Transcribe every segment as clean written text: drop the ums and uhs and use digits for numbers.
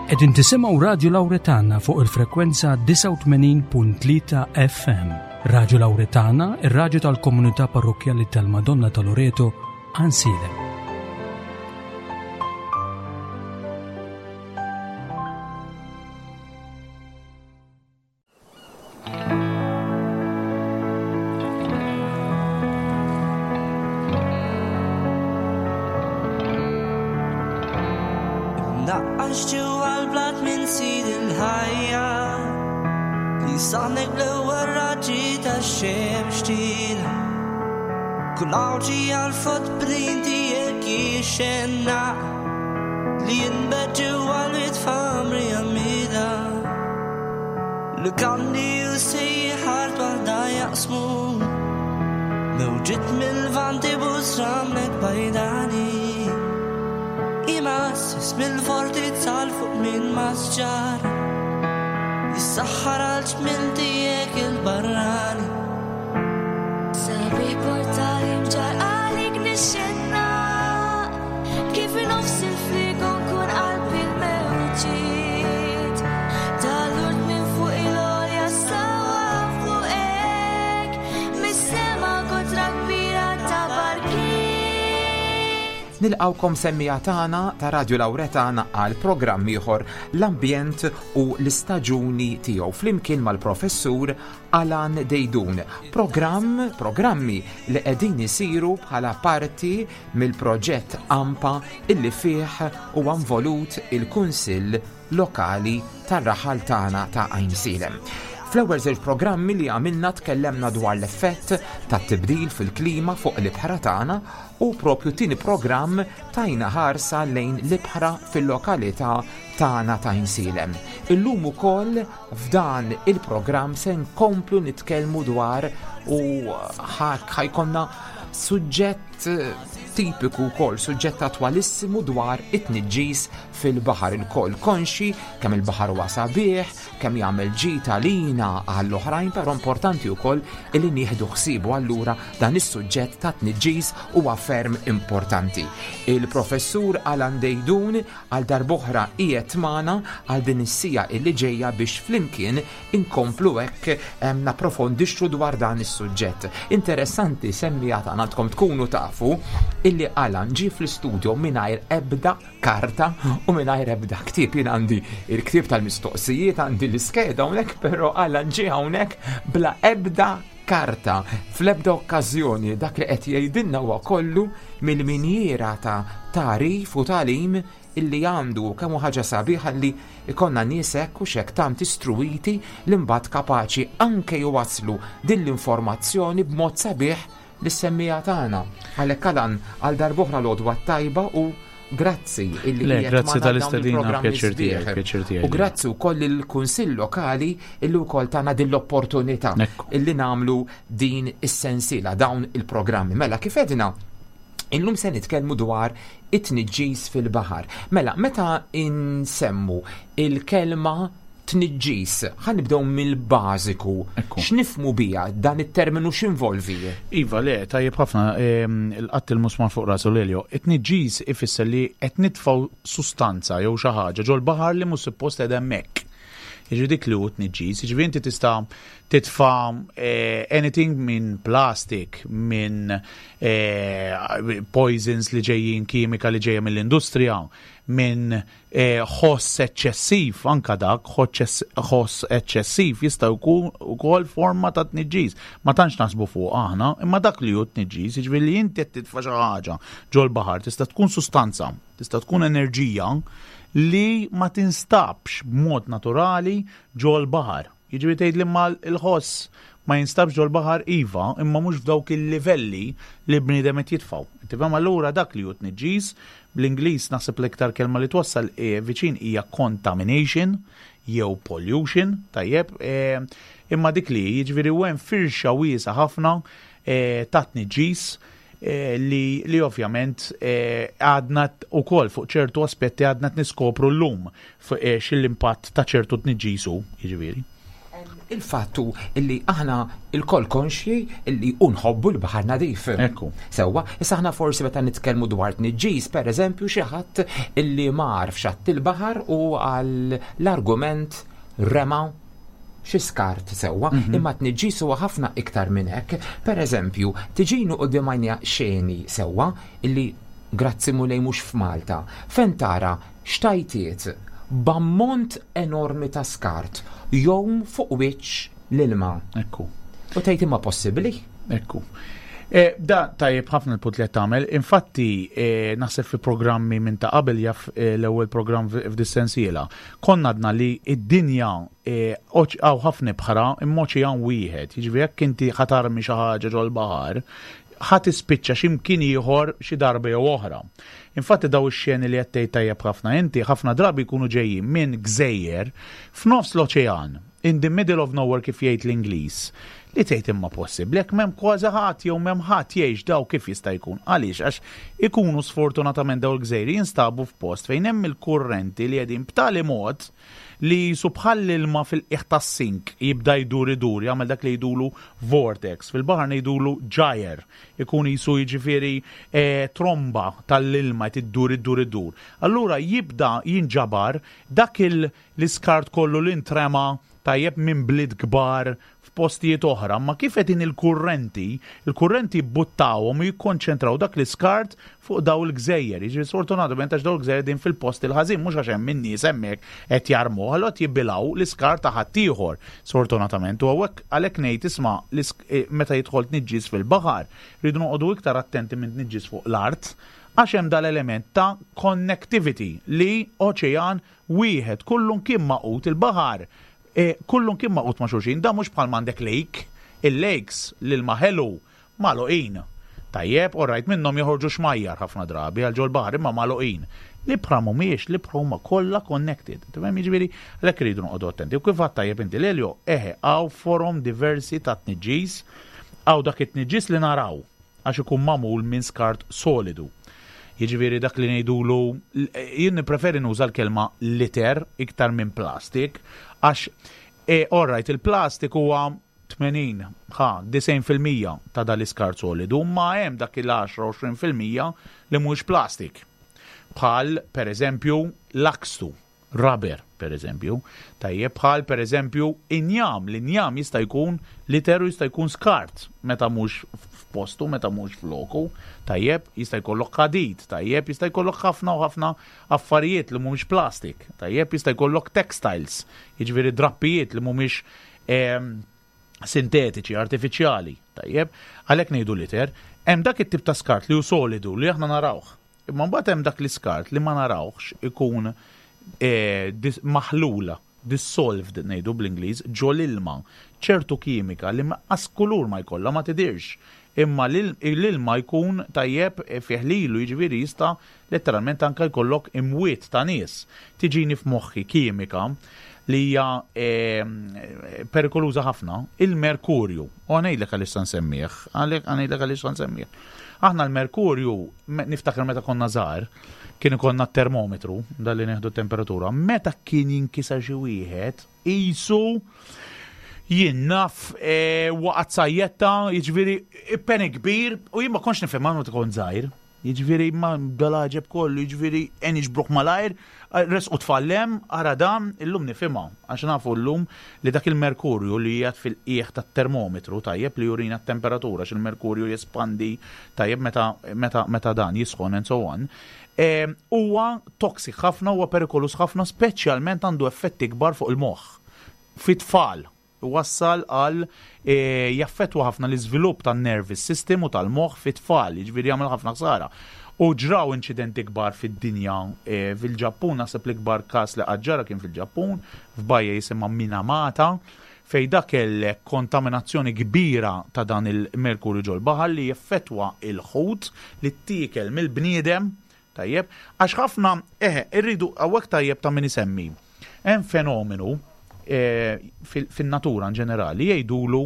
Qegħdin tisimgħu Radju Lawretana fuq il-frekwenza 89.3 FM. Radju Lawretana, ir-radju tal-komunità parrokkjali tal-Madonna ta' Loreto, Għansielem. Imnaqqax ġewwa l-blat minn sid il-ħajja li saħnek bl-ewwel raġġi tax-xemx tila. Kull għawġi għal-footprint tiegħek jixxenna li jinbet ġewwa l-wied f'għamri għammida. Lukandi u sejħar waħda jaqsmu Mewġiet mill-vanti busramlek bajdani Imassis mill-fortizza l fuq minn masġar Jissaħħar għal ġmil tiegħek il-barrani Sabiħ portali mġar għalik nixxenna Kif nofs il-frigo nkun qalbi l-mewġiet Tal-urt minn fuq il-għolja sawa fuqek Mis-sema kotra kbira ta' barkiet Nilqgħukom semmiegħa tagħna ta' Radju Lawretana għal programm ieħor l-ambjent u l-istaġuni tiegħu flimkien mal-Professur Alan Deidun. Programm, programmi li qegħdin isiru bħala parti mill-proġett AMPA illi fih huwa involut il-Kunsill Lokali tar-raħal tagħna ta' Għajnsielem. Fl-ewwel żewġ programmi li għamilna tkellemna dwar l-effett tat-tibdil fil-klima fuq l-ibħra tagħna u propju tieni programm tajna ħarsa lejn l-ibħra fil-lokalità tagħna ta' Għajnsielem. Illum ukoll f'dan il-programm se nkomplu nitkellmu dwar u ħajkonna suġġett tipiku wkoll, suġġett attwalissimu dwar it-tniġġis fil-baħar ilkoll konxi kemm il-baħar huwa sabiħ, kemm jagħmel ġid għalina għall-oħrajn, però importanti wkoll illi nieħdu ħsiebu allura dan is-suġġett ta' tniġġis huwa ferm importanti. Il-professur Alan Dejdun għal darb'oħra qiegħed magħna għal din is-sija illi ġejja biex flimkien Inkomplu hekk napprofondixxu dwar dan is-suġġett. Interessanti semmija tagħna għandkom tkunu tafu illi Alan ġie fl-istudio mingħajr ebda karta u mingħajr ebda ktieb. Jien għandi il-ktieb tal-mistoqsijiet, għandi l-iskeda hawnhekk, però Alan ġie hawnhekk bla ebda karta fl-ebda okkażjoni dak li qed jgħidilna huwa kollu mill-minjiera ta' tagħrif u tagħlim illi għandu u kemm hu ħaġa sabiħa li jkollna nies hekk u x'hekk tant istruwiti li mbagħad kapaċi anke jwasslu din l-informazzjoni b'mod sabiħ lis-semmiegħa tagħna. Għalhekk Alan, għal darb'oħra l-għodwa t-tajba u grazzi illi Le, qiegħed grazzi magħna dawn tal-istedina, il-programmi pjaċir tiegħi, sbieħ. pjaċir tiegħi. U grazzi wkoll lill-Kunsill Lokali illi wkoll tana din l-opportunità Ekku. illi nagħmlu din is-sensiela, dawn il-programmi. Mela kif edna, Illum se nitkellmu dwar it-tniġġis fil-baħar. Mela, meta insemmu il-kelma tniġġis, ħa nibdew mill-bażiku. X'nifhmu biha dan it-terminu x'involvi? Iva, le, tajjeb ħafna, il-qatt il-musmar fuq rasu Lelio. It-tniġġis ifisser li qed nitfgħu sustanza jew xi ħaġa ġol-baħar li mhux suppost qiegħda hemmhekk. Jiġifieri dik li hu tniġġis, jiġifieri inti tista' titfa' eh, anything minn plastic, minn eh, poisons li ġejjin kimika li ġejja mill-industrija, minn eh, ħoss eċċessiv, anka dak ħoss eċċessiv jista' jkun ukoll forma ta' tniġġis. Ma tantx naħsbu fuq aħna, imma dak li hu tniġġis, jiġifieri li inti qed titfa' xi ħaġa ġol-baħar tista' tkun sustanza, tista' tkun enerġija li ma tinstabx b'mod naturali ġol-baħar. Jiġifieri tgħidli imma l-ħoss ma jinstabx ġol-baħar iva, imma mhux f'dawk il-livelli li l-bniedem qed jitfgħu. Tifhem allura dak li hu tniġġis, bl-Ingliż naħseb l-iktar kelma li twassal viċin hija contamination jew pollution, tajjeb, imma dik li hi, jiġifieri u hemm firxa wiesgħa ħafna ta' tniġġis li li ovvjament għadna wkoll fuq ċertu aspetti għadna qed niskopru llum x'l-impatt ta' ċertu tniġġis hu, jiġifieri. Il-fatt hu illi aħna lkoll konxji illi u nħobbu l-baħar nadif. Ekku. Sewwa, issa aħna forsi meta nitkellmu dwar tniġġis, pereżempju xi ħadd illi mar f'xatt il-baħar u għal l-argument rema xi skart sewwa, imma tniġġis huwa ħafna iktar minn hekk. Pereżempju, tiġini quddiem għajnejja xeni sewwa illi grazzi Mulej mhux f'Malta, fejn tara xtajtiet b'ammont enormi ta' skart jgħum fuq wiċċ l-ilma. Ekku. U tgħid imma possibbli? Ekku. E, da tajjeb ħafna l-punt li qed tagħmel. Infatti, e, naħseb fi programmi minn ta' qabel jaf e, l-ewwel programm f'dis-sensiela. Konna għadna li id-dinja hawn ħafna ibħra imma oċean wieħed. Jiġifieri jekk inti ħatarmi xi ħaġa ġol-baħar, ħa tispiċċa xi mkien ieħor xi darba jew oħra. Infatti daw ix-xeni li qed tgħid tajjeb ħafna inti ħafna drabi jkunu ġejjin minn gżejjer f'nofs l-oċean, in the middle of nowhere kif jgħid l-Ingliż, li tgħid imma possibbli jekk m'hemm kważi ħadd jew m'hemm ħadd jgħix daw kif jista' jkun? Għaliex? Għax ikunu sfortunatament daw il-gżejjer jinstabu f'post fejn hemm il-kurrenti li qegħdin b'tali mod li qisu bħall-ilma fil-qiegħ tas-sink jibda jdur idur jagħmel dak li jgħidulu vortex. Fil-baħar ngħidulu gyre. Ikun qisu jiġifieri tromba tal-ilma qed iddur iddur iddur. Allura jibda jinġabar dak l-iskart kollu li ntrema tajjeb minn bliet kbar f'postijiet oħra, imma kif qegħdin il-kurrenti, il-kurrenti jibbuttawhom u jikkonċentraw dak l-iskart fuq daw il-gżejjer. Jiġifieri sfortunatament għax daw il-gżejjer qegħdin fil-post il-ħażin, mhux għax hemm in-nies hemmhekk qed jarmuh, allura qed jibilgħu l-iskart ta' ħaddieħor. Sfortunatament. U hawnhekk għalhekk ngħid isma' meta jidħol tniġġis fil-baħar, rridu noqogħdu iktar attenti minn tniġġis fuq l-art għax hemm dal-element ta' connectivity li oċean wieħed kullunkien magħqud il-baħar Kullu kien magħqud ma' xulxin, dan mhux bħal m'għandek lake, il-lakes, l-ilma ħelu, magħluqin. Tajjeb, all right, minnhom joħorġu xmajjar ħafna drabi għal ġol-baħar imma magħluqin. L-ibħra mhumiex, l-ibħra huma kollha connected. Tifhem jiġifieri għalhekk irridu noqogħdu attenti. U kif għedt tajjeb inti Lelio, eħe, hawn forom diversi ta' tniġġis, hawn dak it-tniġġis li naraw. għax ikun magħmul minn skart solidu. Jiġifieri dak li ngħidulu, jien nippreferi nuża l-kelma litter iktar minn plastik, għax e, all right, il-plastik huwa 80, ħa, 90% ta' dal-iskart solidu, ma hemm dak il-10-20% li mhuwiex plastik. Bħal, per eżempju, l-akstu. Rubber, per eżempju. Tajjeb, bħal per eżempju injam, l-injam jista' jkun liter u jista' jkun skart meta mhux f'postu, meta mhux f'loku. Tajjeb, jista' jkollok ħadid, tajjeb, jista' jkollok ħafna u ħafna affarijiet li mhumiex plastik. Tajjeb, jista' jkollok textiles, jiġifieri drappijiet li mhumiex ehm, sintetiċi, artifiċjali. Tajjeb, għalhekk ngħidu liter, hemm dak it-tip ta' skart li hu solidu li aħna narawh. Imma mbagħad hemm dak l-iskart li ma narawhx ikun maħlul, dissolved ngħidu bl-Ingliż, ġol-ilma. Ċertu kimika li lanqas kulur ma jkollha, ma tidhirx. Imma l-ilma jkun tajjeb fih lilu, jiġifieri jista' letteralment anke jkollok imwiet ta' nies. Tiġini f'moħħi kimika li hija perikoluża ħafna, il-merkurju. U ħa ngħidlek għaliex sa nsemmih, ħa ngħidlek għaliex sa nsemmih. Aħna l-merkurju, niftakar meta konna żgħar, kien ikollna t-termometru, dan li nieħdu t-temperatura, meta kien jinkiser xi wieħed, qisu jien naf e, waqgħet sajjetta, jiġifieri peni kbir, u jien ma kontx nifhem meta kont żgħir. Jiġifieri ma dal-għaġeb kollu, jiġifieri en iġbruh malajr, resqu tfal hemm, ara dan, illum nifhimha, għax nafu llum li dak il-merkurju li qiegħed fil-qiegħ tat-termometru, tajjeb, li jurina t-temperatura, għax il-merkurju jespandi, tajjeb, meta, meta, meta dan jisħon and so on, huwa toxic ħafna, huwa perikoluż ħafna, speċjalment għandu effetti kbar fuq il-moħħ, fit-tfal. Iwassal għal jaffettwa ħafna l-iżvilupp tan-nervous system u tal-moħħ fit-tfal, jiġifieri jagħmel ħafna ħsara. U ġraw inċidenti kbar fid-dinja fil-Ġappun, naħseb l-ikbar każ li qatt ġara kien fil-Ġappun, f'bajja jisimha Minamata, fejn da kellek kontaminazzjoni kbira ta' dan il-merkurju ġol-baħar li jeffettwa l-ħut li ttiekel mill-bniedem, Tajjeb, għax ħafna, eħe, irridu hawnhekk tajjeb ta' min isemmi. Hemm fenomenu eh, fin-natura in ġenerali jgħidulu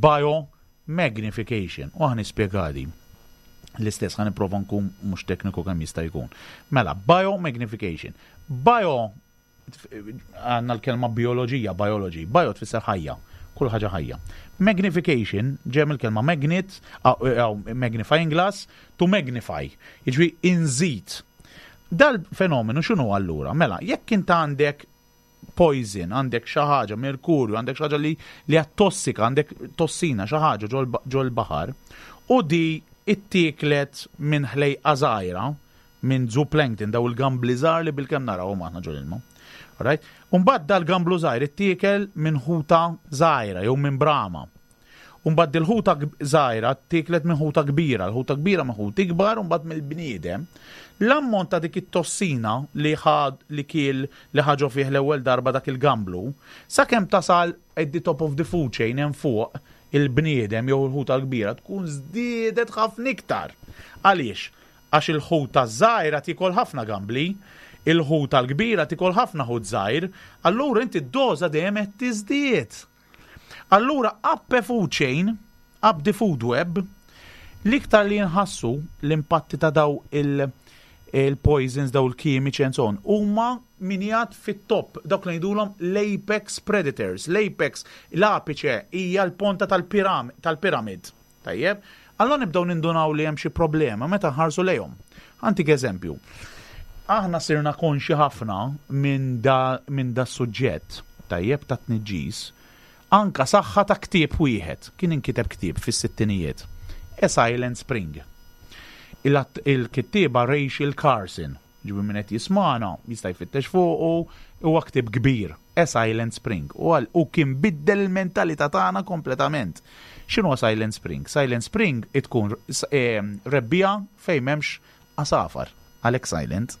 biomagnification u ħa nispjegadi. L-istess ħa nipprova nkun mhux tekniku kemm jista' jkun. Mela, biomagnification. Bio għandna l-kelma bioloġija, biology, bio tfisser ħajja. Kull ħaġa ħajja. Magnification ġej mill-kelma magnet, magnifying glass, to magnify, jiġifieri inżid. Dal-fenomenu x'inhu allura? Mela, jekk int għandek poison, għandek xi ħaġa, merkurju, għandek xi ħaġa li li hija tossika, għandek tossina xi ħaġa ġol-baħar, u di ittieklet minn ħlejqa żgħira, minn zooplankton, daw il-gambli żgħar li bilkemm narawhom aħna ġol-ilma. Alright? Umbagħad dal-gamblu żgħir ittiekel minn ħuta żgħira jew minn brama. U mbagħad dil-ħuta żgħira ttieklet minn ħuta kbira, l-ħuta kbira minn ħut ikbar u mbagħad mill-bniedem. L-ammont ta' dik it-tossina li ħad li kiel li ħa ġo fih l-ewwel darba dak il-gamblu, sakemm tasal at the top of the food chain hemm fuq il-bniedem jew il-ħuta l-kbira tkun żdiedet ħafna iktar. Għaliex? Għax il-ħuta ż-żgħira tiekol ħafna gambli, il-ħuta l-kbira tiekol ħafna ħut żgħir, allura inti d-doża dejjem qed tiżdied. Allura up a food chain, up the food web, l-iktar li jinħassu l-impatti ta' daw il-poisons, daw il-kimiċi and so on, huma min jgħad fit-top, dawk li ngħidulhom l-apex predators. L-apex, l-apiċe hija l-ponta tal-piramid. Tajjeb? Allura nibdew nindunaw li hemm xi problema meta nħarsu lejhom. Ħa ntik eżempju. Aħna sirna konxi ħafna minn da, min da suġġett, tajjeb, ta' tniġġis, anka saħħa ta' ktieb wieħed, kien inkiteb ktieb fis-sittinijiet. A Silent Spring. Il-kittieba Rachel Carson, ġibi min qed jismana, jista' jfittex fuqu, huwa ktieb kbir, A Silent Spring. U għal u kien biddel il-mentalità tagħna kompletament. X'inhu Silent Spring? Silent Spring tkun rebbija fejn m'hemmx għasafar, għalhekk silent.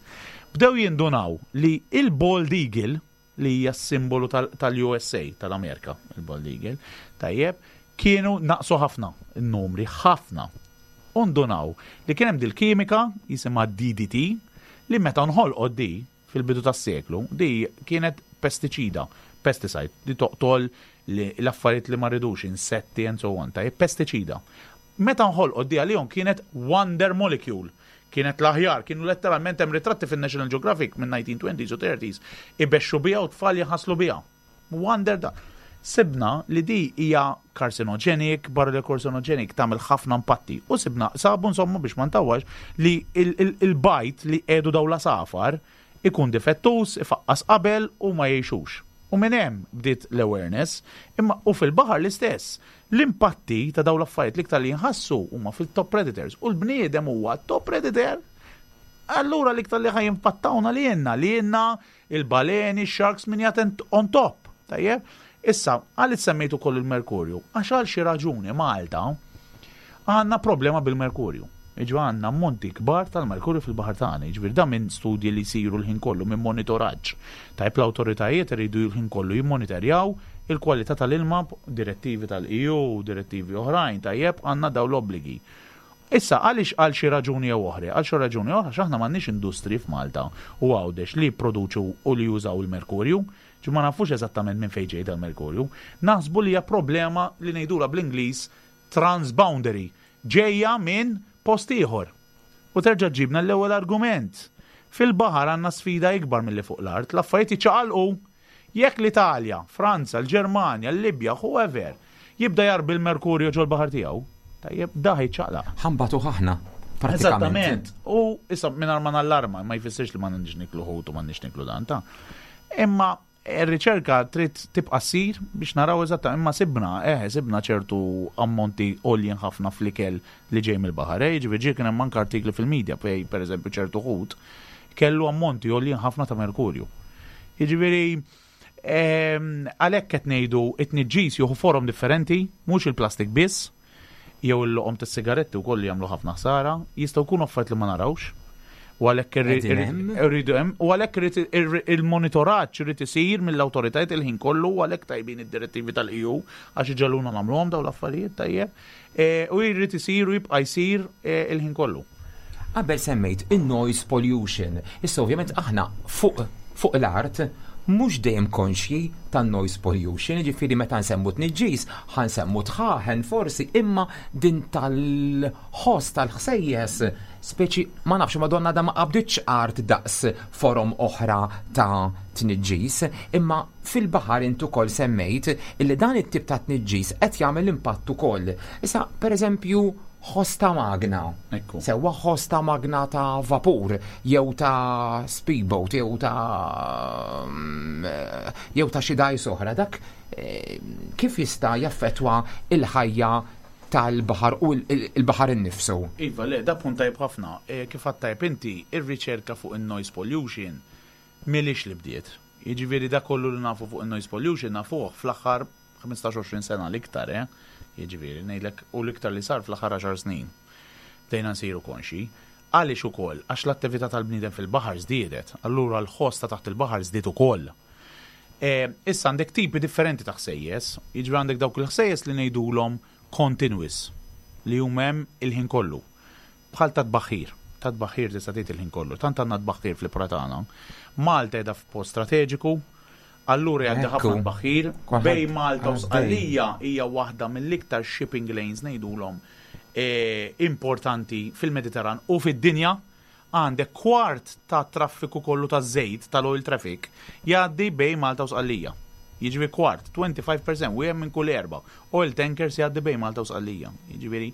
Bdew jindunaw li il-Bald Eagle, li hija simbolu tal-USA, tal-Amerika, il-Bald Eagle, tajjeb, kienu naqsu ħafna, il-numri, ħafna. U ndunaw li kien hemm dil-kimika jisimha DDT li meta nħolqot di fil-bidu tas-seklu, di kienet pestiċida, pesticide, li toqtol l-affarijiet li ma rridux, insetti and so on, tajjeb, pestiċida. Meta nħolqot di għalihom kienet wonder molecule, kienet l-aħjar, kienu letteralment hemm ritratti fin-National Geographic minn 1920s u 30s, ibexxu biha u tfal jaħaslu biha. Wonder da. Sibna li di hija carcinogenic, barra li carcinogenic tagħmel ħafna impatti. U sibna, sabu insomma biex ma ntawwax li il-bajd li qiegħdu daw l-għasafar ikun difettus, ifaqqas qabel u ma jgħixux. U minn hemm bdiet l-awareness, imma u fil-baħar l-istess. L-impatti ta' daw l-affarijiet l-iktar li jinħassu huma fil-top predators u l-bniedem huwa top predator. Allura l-iktar li ħa jimpattawna li jenna, li jenna il-baleni, sharks min jgħat on top. Tajjeb? Issa, għalli semmejtu koll il-merkurju, għax għal xi raġuni Malta għandna problema bil-merkurju. Iġu għandna ammonti kbar tal-merkurju fil-baħar tagħna, jiġifieri da minn studji li jsiru l-ħin kollu minn monitoraġġ. Tajb l-awtoritajiet iridu l-ħin kollu jimmonitorjaw il-kwalità tal-ilma, direttivi tal-EU, direttivi oħrajn, tajjeb għandna daw l-obbligi. Issa, għaliex għal xi raġuni jew oħra? Għal xi raġuni oħra, x'aħna m'għandniex industri f'Malta u Għawdex li jipproduċu u li jużaw il-merkurju. Ġi ma nafux eżattament minn fejn ġej dal-merkurju. Naħsbu li hija problema li ngħidula bl-Ingliż transboundary, ġejja minn post ieħor. U terġa' ġibna l-ewwel argument. Fil-baħar għandna sfida ikbar milli fuq l-art, l-affarijiet jiċċaqalqu. Jekk l-Italja, Franza, l-Ġermanja, l-Libja, whoever, jibda jarbi l-merkurju ġol-baħar tiegħu, tajjeb, da ħa jċaqlaq. Ħa nbatu aħna. Eżattament. U issa mingħajr ma nallarma, ma jfissirx li ma nix niklu ħut u ma nix niklu dan ta' Imma ir-riċerka trid tibqa' ssir biex naraw eżatta imma sibna, sibna ċertu ammonti għoljin ħafna fl-ikel li ġej mill-baħar. Ġifieri kien hemm anke artikli fil-medja fej pereżempju ċertu ħut kellu ammonti għoljin ħafna ta' merkurju. Jiġifieri għalhekk qed ngħidu it-tniġġis jieħu forom differenti, mhux il-plastik biss, jew il-loqom tas-sigaretti wkoll li jagħmlu ħafna ħsara, jistgħu jkunu affarijiet li ma narawx. U għalhekk irridu hemm, u għalhekk irid il-monitoraġġ irid isir mill-awtoritajiet il-ħin kollu u għalhekk tajbin id-direttivi tal-EU għax iġegħluna nagħmluhom dawn l-affarijiet tajjeb. U jrid isir u jibqa' jsir il-ħin kollu. Qabel semmejt il-noise pollution. Issa ovvjament aħna fuq l-art mhux dejjem konxji tan-noise pollution, ġifieri meta nsemmu tniġġis, ħa nsemmu dħaħen forsi, imma din tal-ħoss tal-ħsejjes. Speċi ma nafx ma donna da ma qabditx art daqs forom oħra ta' tniġġis, imma fil-baħar int ukoll semmejt illi dan it-tip ta' tniġġis qed jagħmel impatt ukoll. Issa, pereżempju, ħoss ta' magna. Sewwa ħoss ta' magna ta' vapur jew ta' speedboat jew ta' jew ta' xi dgħajs oħra, dak eh, kif jista' jaffettwa il-ħajja tal-baħar u l-baħar innifsu? Iva, le, da punt tajjeb ħafna. E, kif għedt tajjeb inti, ir-riċerka fuq in-noise pollution m'ilhiex li bdiet. Jiġifieri da kollu li nafu fuq in-noise pollution nafuh fl-aħħar 15-20 sena l-iktar, eh? Jiġifieri, ngħidlek, u l-iktar li sar fl-aħħar 10 snin. Bdejna nsiru konxi. Għaliex ukoll? Għax l-attività tal-bniedem fil-baħar żdiedet, allura l-ħoss ta' taħt il-baħar żdied ukoll. E, issa għandek tipi differenti ta' ħsejjes, jiġifieri għandek dawk il-ħsejjes li ngħidulhom continuous, li huma hemm il-ħin kollu. Bħal ta' tbaħħir. Ta' tbaħħir tista' tgħid il-ħin kollu. Tant għandna tbaħħir fl-ibħra tagħna. Malta qiegħda f'post strateġiku, allura jgħaddi ħafna tbaħħir. Bejn Malta u Sqallija hija waħda mill-iktar shipping lanes ngħidulhom e, importanti fil-Mediterran u fid-dinja. Għandek kwart ta' traffiku kollu ta' żejt tal-oil traffic jgħaddi bejn Malta u Sqallija. Jiġifieri kwart, 25%, wieħed minn kull erba' oil tankers jgħaddi bejn Malta u Sqallija. Jiġifieri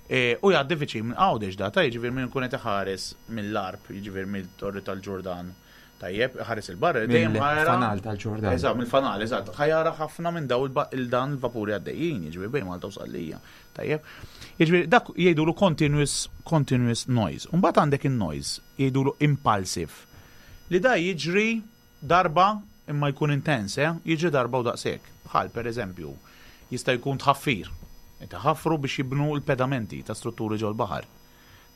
e, u jgħaddi viċin minn Għawdex data, jiġifieri minn kun qed iħares mill-Għarb, jiġifieri mill-Torri tal-Ġurdan. Tajjeb, ħares il-barra, dejjem Mill-fanal tal-Ġurdan. Eżatt, mill-fanal, eżatt. Ħa jara ħafna minn daw il-dan il-vapuri għaddejjin, jiġifieri bejn Malta u Sqallija. Tajjeb. Jiġifieri dak jgħidulu continuous continuous noise. Mbagħad għandek in-noise jgħidulu impulsive. Li da jiġri darba imma jkun intens, eh? Jiġri darba u daqshekk. Bħal pereżempju, jista' jkun tħaffir. Qed iħaffru biex jibnu l-pedamenti ta' strutturi ġol-baħar.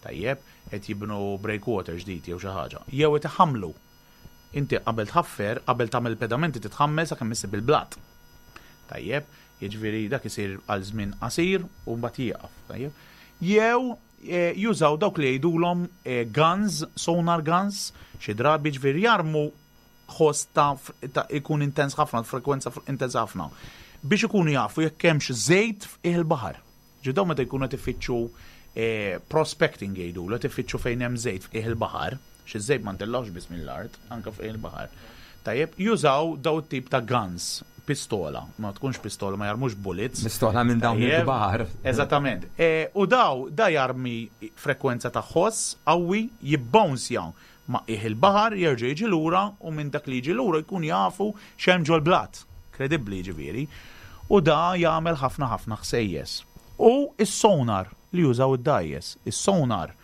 Tajjeb, qed jibnu breakwater ġdid jew xi ħaġa. Jew qed iħammlu. Inti qabel tħaffer, qabel tagħmel il-pedamenti titħammel sakemm issib il-blat. Tajjeb, jiġifieri dak isir għal żmien qasir u mbagħad jieqaf. Tajjeb. Jew eh, jużaw dawk li jgħidulhom eh, guns, sonar guns, xi drabi ġifieri jarmu ħoss ta', ta ikun intens ħafna, frekwenza intens ħafna, biex ikunu jafu jekk hemmx żejt f'qiegħ il-baħar. Ġidaw meta jkunu qed ifittxu eh, prospecting jgħidu, qed ifittxu fejn hemm żejt f'qiegħ il-baħar, xi żejt ma ntellgħux biss mill-art, anke f'qiegħ il-baħar. Tajjeb, jużaw daw it-tip ta' guns, pistola, ma tkunx pistola, ma jarmux bullets. Pistola minn dawn il-kbar. Eżattament. E, u daw, da jarmi frekwenza ta' ħoss qawwi jibbounsja ma' qiegħ il-baħar, jerġa' jiġi lura u minn dak li jiġi lura jkun jafu x'hemm ġol-blat. Kredibbli jiġifieri. U da jagħmel ħafna ħafna ħsejjes. U is-sonar li jużaw id-dgħajjes. Is-sonar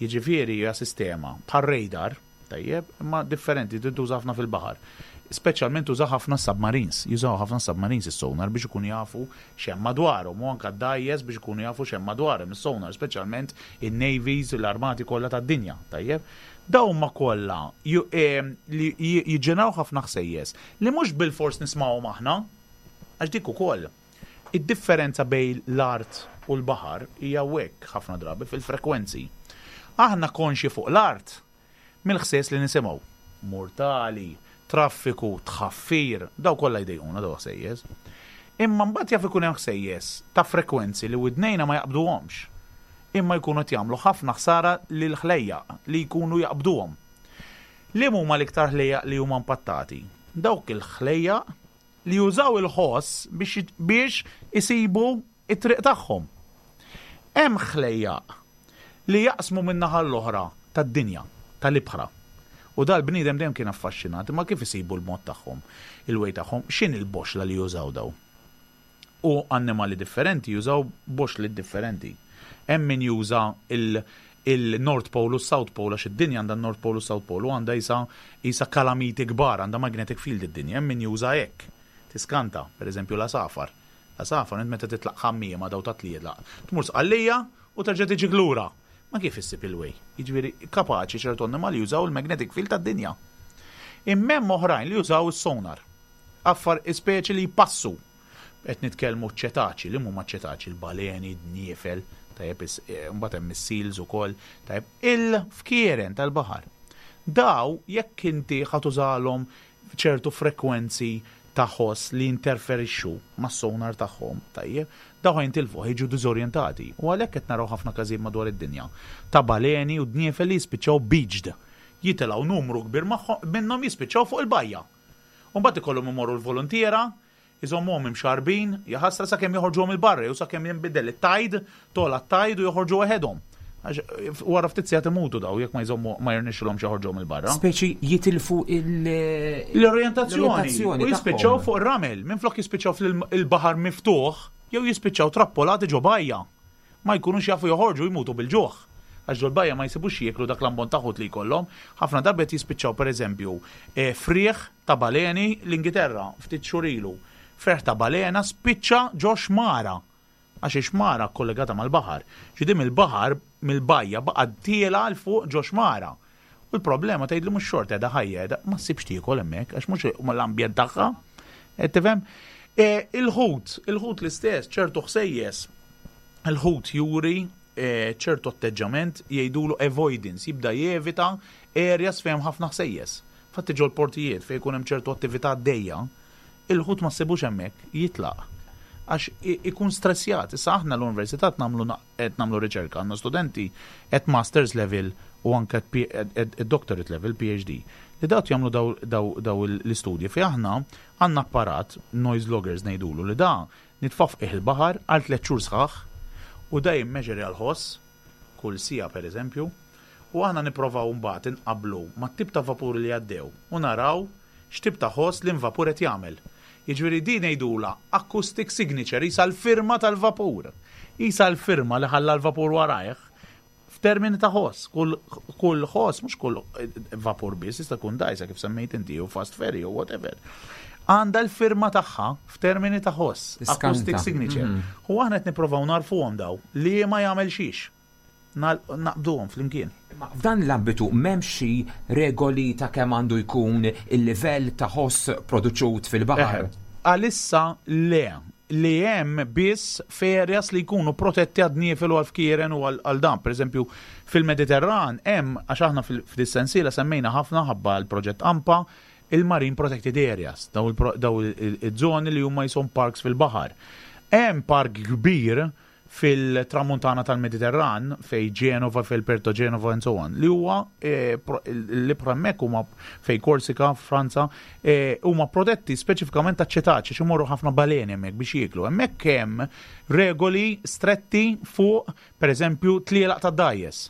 jiġifieri hija sistema bħal radar, tajjeb, imma differenti, tintuża ħafna fil-baħar. Speċjalment tuża ħafna submarines, jużaw ħafna submarines is-sonar biex ikunu jafu x'hemm madwarhom u anke d-dgħajjes biex ikunu jafu x'hemm madwarhom is-sonar, speċjalment in-navies, l-armati kollha tad-dinja, tajjeb. Dawn huma kollha li jiġġeneraw ħafna ħsejjes li mhux bilfors nismgħuhom aħna, għax dik ukoll. Id-differenza bejn l-art u l-baħar hija hekk ħafna drabi fil-frekwenzi. Aħna konxi fuq l-art mill-ħsejjes li nisimgħu. Murtali, traffiku, tħaffir, daw kollha jdejquna daw ħsejjes. Imma mbagħad jaf ikun hemm ħsejjes ta' frekwenzi li widnejna ma jaqbduhomx. Imma jkunu qed jagħmlu ħafna ħsara lil ħlejjaq li jkunu jaqbduhom. Li huma l-iktar ħlejjaq li huma impattati? Dawk il-ħlejjaq li jużaw il-ħoss biex, biex isibu it-triq tagħhom. Hemm ħlejjaq li jaqsmu minn naħa l-oħra tad-dinja, tal-ibħra. U dal-bniedem dejjem kien affaxxinat, imma kif isibu l-mod tagħhom, il-way tagħhom, x'inhi l-boxla li jużaw daw? U annimali differenti jużaw boxli differenti. Hemm min juża il-North Pole u South Pole għax id-dinja għandha North Pole u South Pole u għandha isa isa kalamiti kbar, għandha magnetic field id-dinja, hemm min juża hekk. Tiskanta, per eżempju l-għasafar. L-għasafar int meta titlaq ħammiema daw ta' tlielaq, tmur Sqallija u terġa' tiġi lura. Ma kif issib il-way? Jiġifieri kapaċi ċertu annimali jużaw il-magnetic field tad-dinja. Imma hemm oħrajn li jużaw is-sonar. Affar speċi li jpassu. Qed nitkellmu ċetaċi, li huma ċetaċi, il-baleni, d-dniefel, tajjeb, mbagħad hemm is-seals ukoll, tajjeb, il-fkieren tal-baħar. Daw jekk inti ħa tużalhom ċertu frekwenzi ta' ta' ħoss li jinterferixxu mas-sonar tagħhom, tajjeb, dawn ħa jintilfu, ħa jiġu diżorjentati. U għalhekk qed naraw ħafna każijiet madwar id-dinja ta' baleni u dniefel li jispiċċaw beached. Jitilgħu numru kbir magħhom minnhom jispiċċaw fuq il-bajja. U mbagħad ikollhom imorru l-voluntiera Iżommuhom imxarrbin, jaħasra sakemm joħorġuhom 'il barra jew sakemm jinbidel it-tide, togħla t-tide u joħorġu waħedhom. Għax wara ftit sigħat imutu daw jekk ma jżommu ma jirnexxilhomx joħorġuhom 'il barra. Speċi jitilfu il- L-orjentazzjoni u jispiċċaw fuq ir-ramel, minflok jispiċċaw fil-baħar miftuħ jew jispiċċaw trappolati ġo bajja. Ma jkunux jafu joħorġu u jmutu bil-ġuħ. Għax ġol-bajja ma jsibux x'jieklu dak l-ammont ta' ħut li jkollhom. Ħafna drabi qed jispiċċaw pereżempju frieħ ta' baleni l-Ingiterra ftit xhur ilu. Ferħ ta' balena spiċċa ġo xmara. Għax ix-xmara kkollegata mal-baħar. Ġifieri mill-baħar, mill-bajja baqgħet tielgħa 'l fuq ġo xmara. U l-problema tgħidli mhux xorta qiegħda ħajja qiegħda ma ssibx tiekol hemmhekk għax mhux l-ambjent tagħha. Qed tifhem? E, il-ħut, il-ħut l-istess, ċertu ħsejjes, il-ħut juri e, ċertu atteġġament jgħidulu avoidance, jibda jevita areas fejn ħafna ħsejjes. Fatti ġol portijiet fejn ikun hemm ċertu attività għaddejja, il-ħut ma ssibux hemmhekk, jitlaq. Għax ikun stressjat. Issa aħna l-università nagħmlu qed nagħmlu riċerka, għandna studenti at masters level u anke at doctorate level, PhD, li dawk jagħmlu daw l-istudji fejn aħna għandna apparat, noise loggers ngħidulu, li da nitfgħu f'qiegħ il-baħar għal tlett xhur sħaħ u da jimmeġerja l-ħoss kull siegħa pereżempju u aħna nipprovaw imbagħad inqabblu mat-tip ta' vapuri li għaddew u naraw x'tip ta' ħoss l-invapur qed jagħmel. Jiġifieri din ngħidulha acoustic signature, qisha l-firma tal-vapur. Qisha l-firma li ħalla l-vapur warajh f'termini ta' ħoss. Kull, kull ħoss, mhux kull vapur biss, jista' jkun dgħajsa kif semmejt inti jew fast ferry jew whatever. Għandha l-firma tagħha f'termini ta' ħoss, acoustic signature. U aħna qed nipprovaw nagħrfuhom daw li ma jagħmel xiex. Naqbduhom flimkien. Imma f'dan l-ambitu m'hemmx xi regoli ta' kemm għandu jkun il-livell ta' ħoss produċut fil-baħar? Għalissa le. Li hemm biss f'areas li jkunu protetti għad-dniefel u għall-fkieren u għal dan. Per eżempju, fil-Mediterran hemm, għax aħna f'dis-sensiela semmejna ħafna ħabba l-proġett AMPA, il-Marine Protected Areas, daw iż-żoni li huma jisom parks fil-baħar. Hemm park kbir fil-tramuntana tal-Mediterran, fej Genova, fej Perto Genova and so on, li huwa eh, l-ibħra hemmhekk huma fej Korsika, Franza, eh, huma protetti speċifikament ta' ċetaċi, xi morru ħafna baleni hemmhekk biex jieklu. Hemmhekk hemm regoli stretti fuq, pereżempju, tlielaq ta' dgħajjes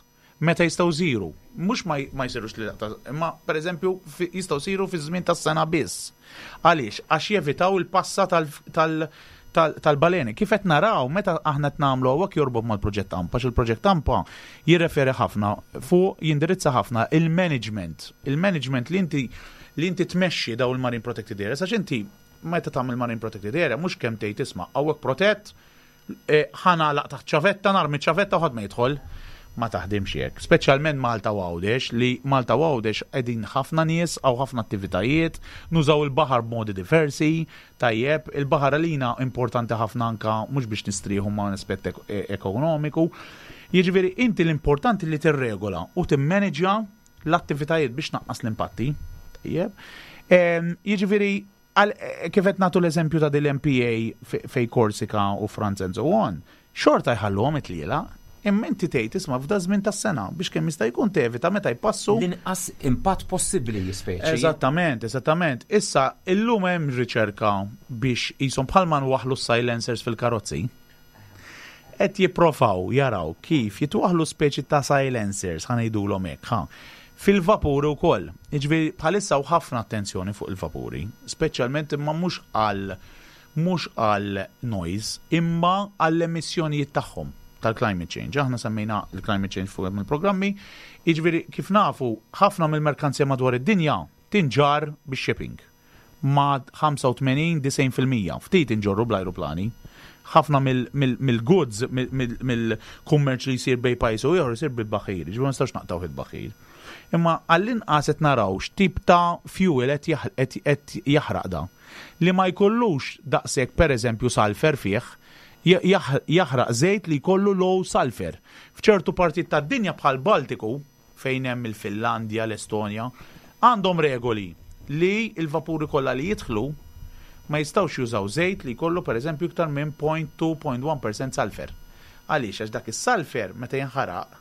meta jistgħu jsiru. Mhux ma jsirux tlielaq ta' imma pereżempju jistgħu jsiru fi żmien tas-sena biss. Għaliex? Għax jevitaw il-passa tal-baleni. Kif qed naraw meta aħna qed nagħmlu hawnhekk jorbot mal-proġett AMPA, għax il-proġett AMPA jirreferi ħafna fuq jindirizza ħafna il-management. Il-management li inti tmexxi daw il-Marine Protected Areas, għax inti meta tagħmel Marine Protected Area mhux kemm tgħid isma' hawnhekk protett, ħa nagħlaq taħt ċavetta, narmi ċavetta u ħadd ma jidħol. Ma taħdimx hekk. Speċjalment Malta u Għawdex, li Malta u Għawdex qegħdin ħafna nies, hawn ħafna attivitajiet, nużaw il-baħar b'modi diversi, tajjeb, il-baħar għalina importanti ħafna anka mhux biex nistrieħu ma' aspett ekonomiku. Jiġifieri inti l-importanti li tirregola u timmaneġja l-attivitajiet biex naqqas l-impatti. Tajjeb. Jiġifieri kif qed nagħtu l-eżempju ta' dil-MPA fej Korsika u Franza and so on, xorta jħalluhom it-tlielaq, imma inti tgħid isma' f'da żmien tas-sena biex kemm jista' jkun tevita meta jpassu. L-inqas impatt possibbli speċi. Eżattament, eżattament. Issa, illum hemm riċerka biex jisom bħalma nwaħlu silencers fil-karozzi. Qed jipprovaw jaraw kif jitwaħlu speċi ta' silencers, ħa ngħidulhom hekk, ha. Fil-vapuri wkoll. Jiġifieri bħalissa hawn ħafna attenzjoni fuq il-vapuri, speċjalment imma mhux għal noise, imma għall emissjonijiet tagħhom tal-climate change. Aħna semmejna l-climate change fuq il-programmi, jiġifieri kif nafu ħafna mill-merkanzija madwar id-dinja tinġar bix-shipping ma 85-90%. Ftit inġorru bl-ajruplani. Ħafna mill-goods, mill-kummerċ li jsir bejn pajjiż u ieħor jsir bil-baħir, ġifieri ma nistax naqtgħu il-baħir. Imma għall-inqas qed naraw x'tip ta' fuel qed jaħraq da. Li ma jkollux daqshekk pereżempju sulfur fih, jaħraq żejt li jkollu low sulfur. F'ċertu partijiet tad-dinja bħal Baltiku, fejn hemm il-Finlandja, l-Estonja, għandhom regoli li il-vapuri kollha li jidħlu. Ma jistgħux jużaw żejt li jkollu pereżempju iktar minn 0.2.1% sulfur. Għaliex? Għax dak is-sulfur meta jinħaraq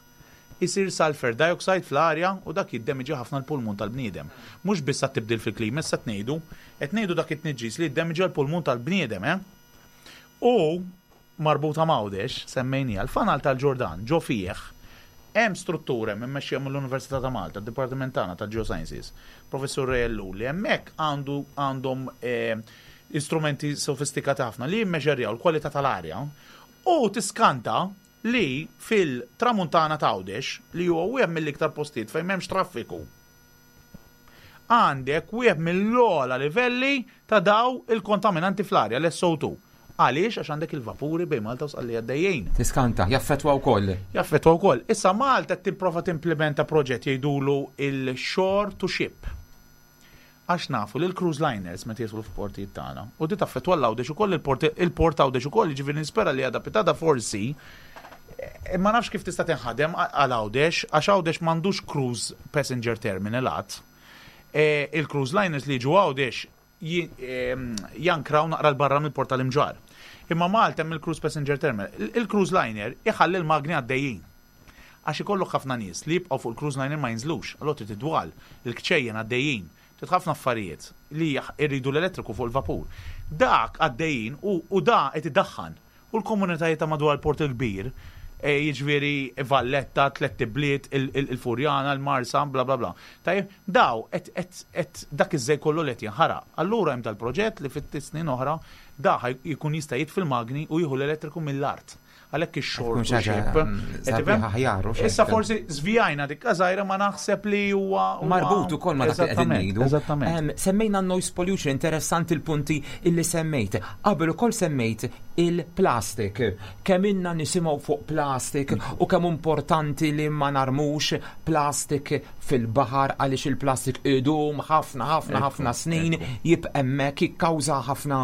isir sulfur dioxide fl-arja u dak jiddemiġja ħafna l-pulmun tal-bniedem. Mhux biss għat-tibdil fil-klima issa qed ngħidu, qed ngħidu dak it-tniġġis li jiddemiġja l-pulmun tal-bniedem, eh? U marbuta m'Għawdex, semmejniha, l-fanal tal-Ġordan, ġo fih hemm struttura hemm immexxija mill-Università ta' Malta, d-Dipartiment tagħna tal-Geosciences, Professur Ray Ellul, li hemmhekk għandu għandhom istrumenti sofistikati ħafna li jimmeġerjaw l-kwalità tal-arja u tiskanta li fil-tramuntana ta' Għawdex, li huwa wieħed mill-iktar postijiet fejn m'hemmx traffiku, għandek wieħed mill-ogħla livelli ta' daw il-kontaminanti fl-arja, l-SO2. Għaliex? Għax għandek il-vapuri bejn Malta u Sqallija għaddejjin. Tiskanta, jaffettwa wkoll. Jaffettwa wkoll. Issa Malta qed tipprova timplementa proġett jgħidulu il-shore to ship. Għax nafu li l-cruise liners meta jidħlu f'portijiet tagħna, u di taffettwa l-Għawdex ukoll il-port il-port Għawdex ukoll, jiġifieri nispera li għada pitada forsi eh, ma nafx kif tista' tinħadem għal Għawdex, għax Għawdex m'għandux cruise passenger terminal għad. Eh, il-cruise liners li jiġu Għawdex ehm, jankraw naqra l-barra mill-port tal-Imġarr. Imma Malta hemm il-cruise passenger terminal. Il-cruise liner iħalli l-magni għaddejjin. Għax ikollok ħafna nies li jibqgħu fuq il-cruise liner ma jinżlux, allura trid id-dwal, il-kċejjen għaddejjin, trid ħafna affarijiet li jridu l-elettriku fuq il-vapur. Dak għaddejjin u u da qed idaħħan. U l-komunitajiet ta' madwar il-Port il-Kbir, jiġifieri Valletta, Tlett Ibliet, il-Furjana, il-Marsa, bla bla bla. Tajjeb, daw qed qed qed dak iż-żejt kollu li qed jinħaraq. Allura hemm dal-proġett li fi ftit snin oħra da ħa jkun jista' jitfi l-magni u jieħu l-elettriku mill-art. Għalhekk ix-xogħol Tkun xi ħaġa sabiħa aħjar u Issa forsi żvijajna dik żgħira ma naħseb li huwa marbut ukoll ma dak li qegħdin ngħidu. Eżattament. Semmejna noise pollution, interessanti l-punti illi semmejt. Qabel ukoll semmejt il-plastik. Kemm inna nisimgħu fuq plastik u kemm importanti li ma narmux plastik fil-baħar għaliex il-plastik idum ħafna ħafna ħafna snin jibqa' hemmhekk jikkawża ħafna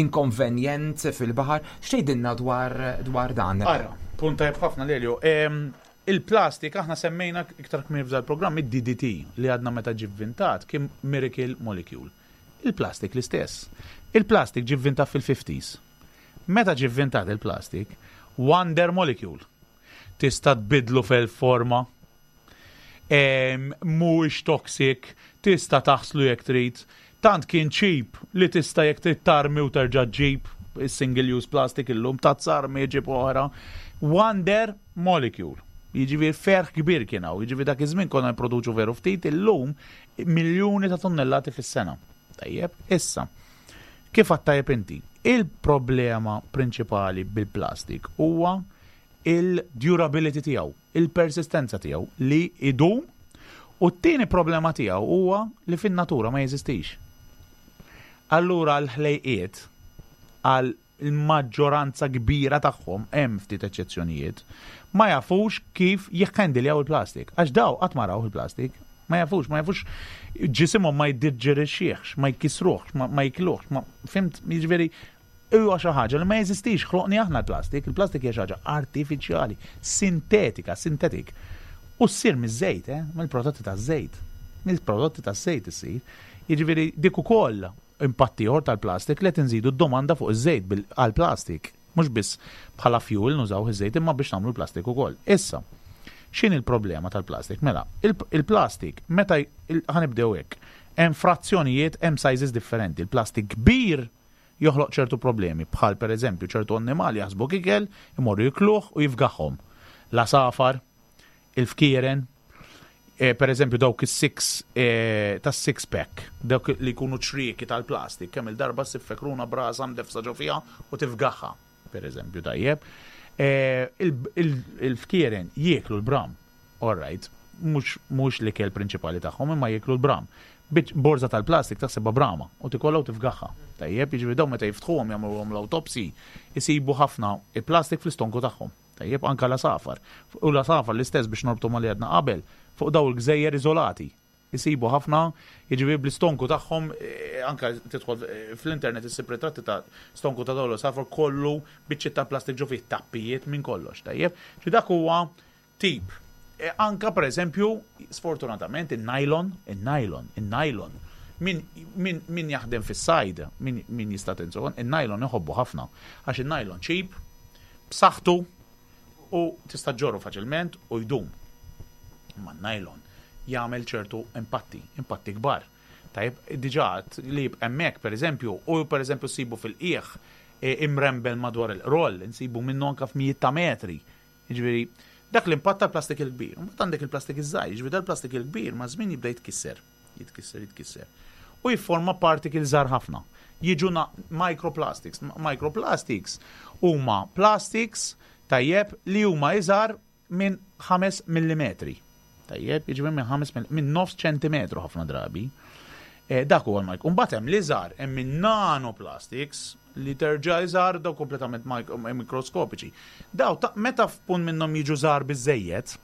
inkonvenjent fil-baħar. X'tgħidilna dwar dwar dan? Ara, punt tajjeb ħafna Lelio. Il-plastik aħna semmejna iktar kmieni f'dal programm id-DDT li għadna meta ġie vvintat kien miracle molecule. Il-plastik l-istess. Il-plastik ġie vvintat fil-50s. Meta ġie vvintat il-plastik, wonder molecule. Tista' tbiddlu f'elf forma, Mhuwiex toxic, tista' taħslu jekk trid. Tant kien cheap li tista' jekk trid tarmi u terġa' ġġib is-single use plastic illum tazza armi ġib oħra. Wonder molecule. Jiġifieri ferħ kbir kien hawn. Jiġifieri dak iż-żmien konna nipproduċu veru ftit, illum miljuni ta' tunnellati fis-sena. Tajjeb, issa. Kif għedt tajjeb inti, il-problema prinċipali bil-plastik huwa il-durability tiegħu, il-persistenza tiegħu li idum u t-tieni problema tiegħu huwa li fin-natura ma jeżistix. Allura l-ħlejqiet għal il-maġġoranza kbira tagħhom, hemm ftit eċċezzjonijiet, ma jafux kif jikhendiljaw il-plastik. Għax daw qatt ma raw il-plastik, ma jafux, ma jafux ġisimhom ma jiddiġerixxihx, ma jkissruhx, ma jikluhx, ma fimt, jiġifieri Huwa xi ħaġa li ma jeżistix, ħloqni aħna l-plastik, il-plastik hija xi ħaġa artifiċjali, sintetika, synthetic. U ssir miż-żejt, eh? mill-prodotti taż-żejt. Mill-prodotti taż-żejt issir. Jiġifieri dik ukoll impatt ieħor tal-plastik li qed inżidu d-domanda fuq iż-żejt għall-plastik. Mhux biss bħala fuel nużaw iż-żejt imma biex nagħmlu l-plastik ukoll. Issa, x'inhi l-problema tal-plastik? Mela, il-plastik meta ħanibdew hekk, hemm frazzjonijiet, hemm sizes differenti. Il-plastik kbir joħloq ċertu problemi, bħal pereżempju ċertu annimali jaħsbuk ikel, imorru jikluh u jifgahhom. L-għasafar, il-fkieren, eh, pereżempju dawk is-six eh, tas-six pack, dawk li jkunu ċrieki tal-plastik, kemm il-darba ssib fekruna brasa mdefsa ġo fiha u tifgahha, pereżempju tajjeb. Eh, il-fkieren jieklu l-bram. All right, mhux mhux l-ikel prinċipali tagħhom imma jieklu l-bram. Biċ borża tal-plastik taħsibha brama u tikolha u tifgagħha. Tajjeb, jiġifieri dawn meta jiftħuhom jagħmluhom l-awtopsy isibu ħafna plastik fl-istonku tagħhom. Tajjeb, anke l-għasafar. U l-għasafar l-istess biex norbtu ma' li għedna qabel, fuq dawn il-gżejjer iżolati. Isibu ħafna, jiġifieri bl-istonku tagħhom, anke tidħol fl-internet issib ritratti ta' stonku ta' dawn l-għasafar kollu biċċiet ta' plastik ġo fih, tappijiet minn kollox, tajjeb. Ġifieri dak huwa tip. Anka per eżempju, sfortunatament, in-nylon, in-nylon, in-nylon. Min, min, min jaħdem fis-sajd, min, min jista' tinżon, in-nylon iħobbu ħafna. Għax in-nylon cheap, b'saħħtu u tista' ġorru faċilment u jdum. Ma nylon jagħmel ċertu impatti, impatti kbar. Tajjeb, diġà li hemmhekk pereżempju, u pereżempju ssibu fil-qiegħ e, imrembel madwar il-qroll, insibu minnu anka f'mijiet ta' metri. Jiġifieri, dak l-impatt tal-plastik il-kbir. Mbagħad għandek il-plastik iż-żgħir, jiġifieri dal-plastik il-kbir ma' żmien jibda jitkisser, jitkisser, jitkisser. U jifforma particles żgħar ħafna. Jiġu microplastics. Microplastics huma plastics tajjeb li huma iżgħar minn 5 millimetri. Tajjeb, jiġifieri minn 5 minn nofs ċentimetru ħafna drabi. Eh, dak huwa l-micro. Mbagħad hemm l-iżgħar, hemm in-nanoplastics li terġa' iżgħar daw kompletament mikroskopiċi. Daw ta' meta f'punt minnhom jiġu żgħar biżejjed,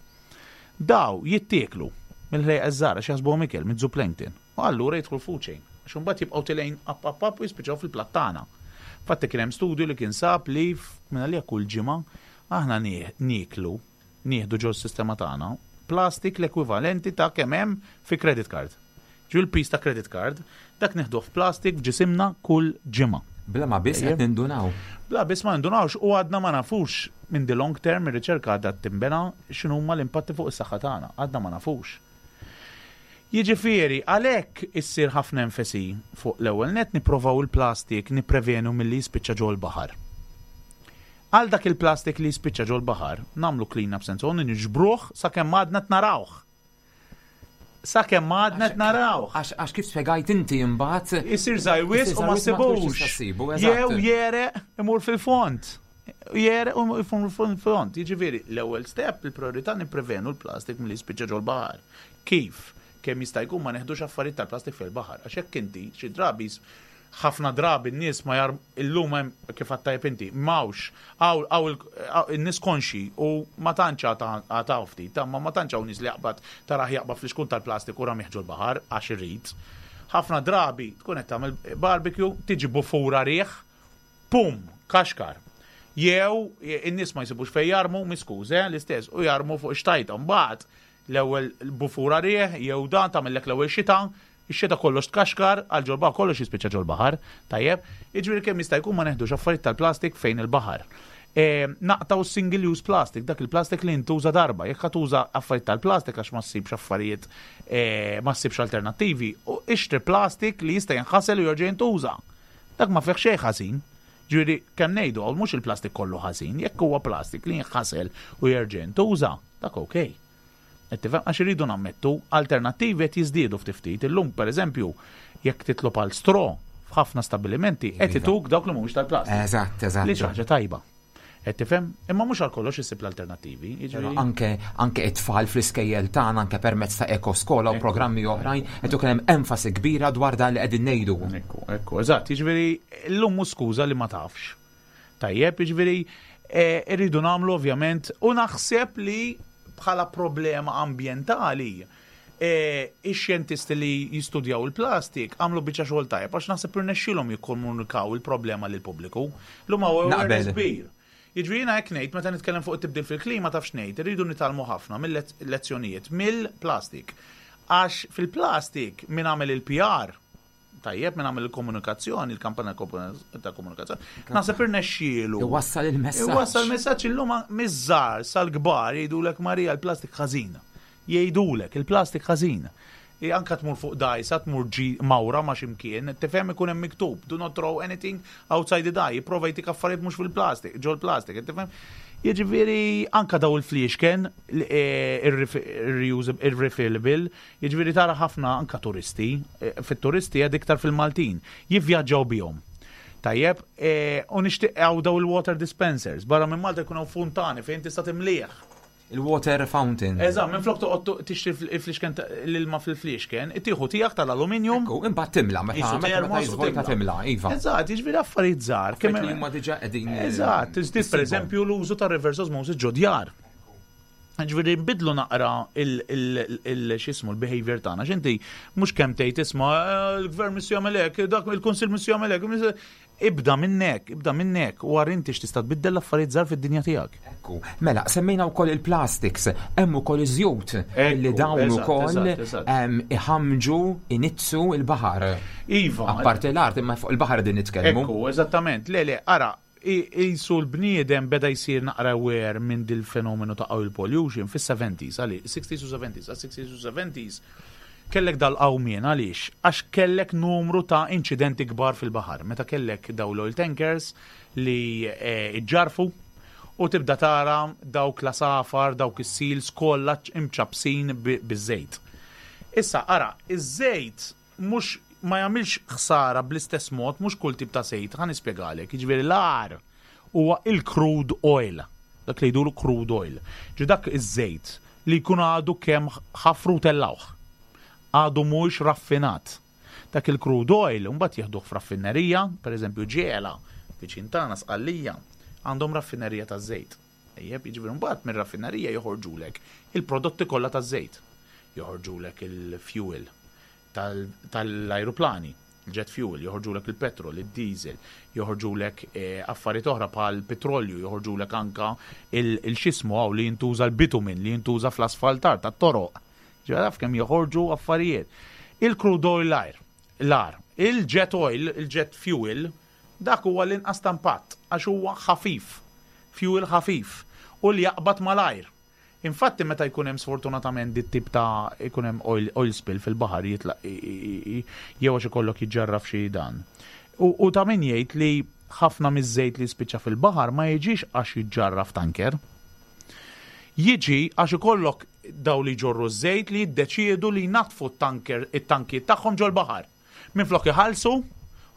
daw jittieklu mill-ħlejqa żgħar għax jaħsbuhom ikel mid-zooplankton. U allura jidħlu food chain. Għax imbagħad jibqgħu tilgħin up up up u jispiċċaw fil-platt tagħna. Fatti kien hemm studju li kien sab li minn għalija kull ġimgħa aħna nieklu, nieħdu ġo s-sistema tagħna plastik l-ekwivalenti ta' kemm hemm fi credit card. Ġu l-piż ta' credit card, dak nieħduh f'plastik f'ġisimna kull ġimgħa. Bla ma biss qed nindunaw. Bla biss ma nindunawx u għadna ma nafux minn the long term ir-riċerka għadha timbena x'inhuma l-impatti fuq is-saħħa tagħna. Għadna ma nafux. Jiġifieri, għalhekk issir ħafna enfasi fuq l-ewwel nett nipprovaw il-plastik nipprevenu milli jispiċċa ġol-baħar. Għal dak il-plastik li jispiċċa ġol-baħar, nagħmlu clean up sense on niġbruh sakemm għadna qed narawh. Sakemm għadna qed narawh. Għax kif spjegajt inti imbagħad. Isir żgħir wisq u ma ssibux. Jew jereq imur fil-fond. Jereq u imur fil-fond. Jiġifieri, l-ewwel step, il-priorità nipprevenu l-plastik milli jispiċċa ġol-baħar. Kif? Kemm jista' jkun ma neħdux affarijiet tal-plastik fil-baħar. Għax hekk inti xi drabi ħafna drabi n-nies ma jar illum hemm kif għedt tajjeb inti, m'hawnx, hawn in-nies konxji u ma tantx għad hawn ftit, imma ma tantx hawn nies li jaqbad tarah jaqbad flixkun tal-plastik u ramih ġol-baħar għax irid. Ħafna drabi tkun qed tagħmel barbecue, tiġi bufura riħ, pum, kaxkar. Jew in-nies ma jsibux fejn jarmu, miskuż, eh, l-istess, u jarmu fuq ix-xtajta. Mbagħad l-ewwel bufura riħ jew dan tagħmellek l-ewwel xita, ix-xita kollox tkaxkar, għal ġol-baħar kollox jispiċċa ġol-baħar, tajjeb? Jiġifieri kemm jista' jkun ma neħdux affarijiet tal-plastik fejn il-baħar. E, naqtgħu single use plastic, dak il-plastik li jintuża darba. Jekk ħa tuża affarijiet tal-plastik għax ma ssibx affarijiet e, ma ssibx alternattivi, u ixtri plastik li jista' jinħasel u jerġa' jintuża. Dak ma fih xejn ħażin. Ġifieri kemm ngħidu hawn mhux il-plastik kollu ħażin, jekk huwa plastik li jinħasel u jerġa' jintuża, dak okej. Qed tifhem? Għax irridu nammettu, alternattivi qed jiżdiedu ftit ftit. Illum, pereżempju, jekk titlob għal straw f'ħafna stabbilimenti qed Iva. ituk dawk li mhumiex tal-plastik. Eżatt, eżatt. Li xi ħaġa tajba. Qed tifhem? Imma mhux għal kollox issib l-alternattivi. Però Jiġifieri anke anke it-tfal fl-iskejjel tagħna anke permezz ta' ekoskola u programmi oħrajn qed ikun hemm enfasi kbira dwar dan li qegħdin ngħidu. Ekku, ekku, eżatt, jiġifieri llum mhux skuża li ma tafx. Tajjeb, jiġifieri eh, irridu nagħmlu ovvjament u naħseb li bħala problema ambjentali eh, ix-xjentisti li jistudjaw il-plastik għamlu biċċa xogħol tajjeb għax naħseb irnexxielhom jikkomunikaw il-problema lill-pubbliku. Llum hawn awareness Naqbel. kbir. Jiġifieri jiena hekk ngħid meta nitkellem fuq it-tibdil fil-klima taf x'ngħid, irridu nitgħallmu ħafna mill-lezzjonijiet mill-plastik. Għax fil-plastik min għamel il-PR tajjeb min għamel il-komunikazzjoni, il-kampanja ta' komunikazzjoni, naħseb irnexxielu. Iwassal il-messaġġ. Iwassal il-messaġġ illum miż-żgħar sal-kbar jgħidulek Marija l-plastik ħażin. Jgħidulek il-plastik ħażin. I Anka tmur fuq dajsa, tmur ġi mawra ma' ximkien, tifhem ikun hemm miktub, do not throw anything outside the dye, jipprova jtik affarijiet mhux fil-plastik, ġol-plastik, tifhem? Jiġifieri anka daw il-fliexken il-refillable, jiġifieri tara ħafna anka turisti, eh, fit-turisti għad iktar fil-Maltin, jivvjaġġaw bihom. Tajjeb, eh, u nixtieq hawn daw il-water dispensers, barra minn Malta jkun hawn funtani fejn tista' timlih. Il-water fountain. Eżatt, minn flok toqgħod tixtri il-fliexken l-ilma fil-fliexken, tieħu tiegħek tal-aluminium. Ekku, imbagħad timla meta Qisu meta meta termos u jiżvolta timla, iva. Eżatt, jiġifieri affarijiet żgħar. Kemm li huma diġà qegħdin. Eżatt, tiżdied pereżempju l-użu ta' reverse osmosis ġo djar. Ġifieri nbidlu naqra il-xismu l-behavior tagħna. X'inti mhux kemm tgħid isma' eh, l-gvern missu jagħmel hekk, dak il-kunsill missu jagħmel hekk. Ibda minnek, ibda minnek u għar inti x'tista' tbiddel l-affarijiet żgħar fid-dinja tiegħek. Ekku, mela semmejna wkoll il-plastics, hemm ukoll iż-żjut li dawn ukoll iħamġu inizzu il-baħar. Iva. Apparti l-art imma fuq il-baħar din nitkellmu. Ekku, eżattament. Le, le, ara, Qisu l-bniedem beda jsir naqra aware minn dil-fenomenu ta' oil pollution fis-seventies, għaliex, sixties u seventies, għax sixties u seventies kellek dal-qawmien għaliex? Għax kellek numru ta' inċidenti kbar fil-baħar, meta kellek dawn l-oil tankers li ġġarrfu u tibda tara dawk l-għasafar, dawk is-seals kollha imċappsin biż-żejt. Issa ara, iż-żejt mhux ma jagħmilx ħsara bl-istess mod mhux kull tip ta' żejt, ħa nispjegalek, jiġifieri l-agħar huwa il-crude oil, dak li jgħidulu crude oil. Ġifieri dak iż-żejt li jkun għadu kemm ħafru u tellgħuh. Għadu mhuwiex raffinat. Dak il-crude oil imbagħad jieħduh f'raffinerija, pereżempju Ġiela, viċin tagħna Sqallija, għandhom raffinerija taż-żejt. Tajjeb, jiġifieri mbagħad mir-raffinerija joħorġulek il-prodotti kollha taż-żejt. Joħorġulek il-fuel tal-ajruplani, il-jet fuel, joħorġulek il-petrol, id-diesel, joħorġulek eh, affarijiet oħra bħal petrolju, joħorġulek anka il-xismu hawn li jintuża l-bitumin li jintuża fl-asfaltar tat-toroq. Ġifieri taf kemm joħorġu affarijiet. Il-crude oil l-ajr, l-ar, il-jet oil, il-jet fuel, Dak huwa l-inqas ta' impatt għax huwa ħafif, fuel ħafif u li jaqbad malajr. Infatti meta jkun hemm sfortunatament dit-tip ta' jkun hemm oil, oil spill fil-baħar jitlaq jew għax ikollok jiġġarraf xi dan. U, u ta' min jgħid li ħafna miż-żejt li jispiċċa fil-baħar ma jiġix għax jiġġarraf tanker. Jiġi għax ikollok daw li jġorru ż-żejt li jiddeċiedu li jnaddfu t-tanker, it-tankijiet tagħhom ġol-baħar. Minflok iħallsu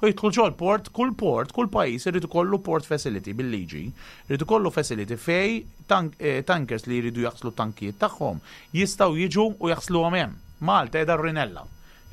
u jidħlu ġol-port, kull port, kull pajjiż irid ikollu port facility bil-liġi, irid ikollu facility fej tank, eh, tankers li jridu jaħslu tankijiet tagħhom jistgħu jiġu u jaħsluhom hemm. Malta qiegħda r-Rinella.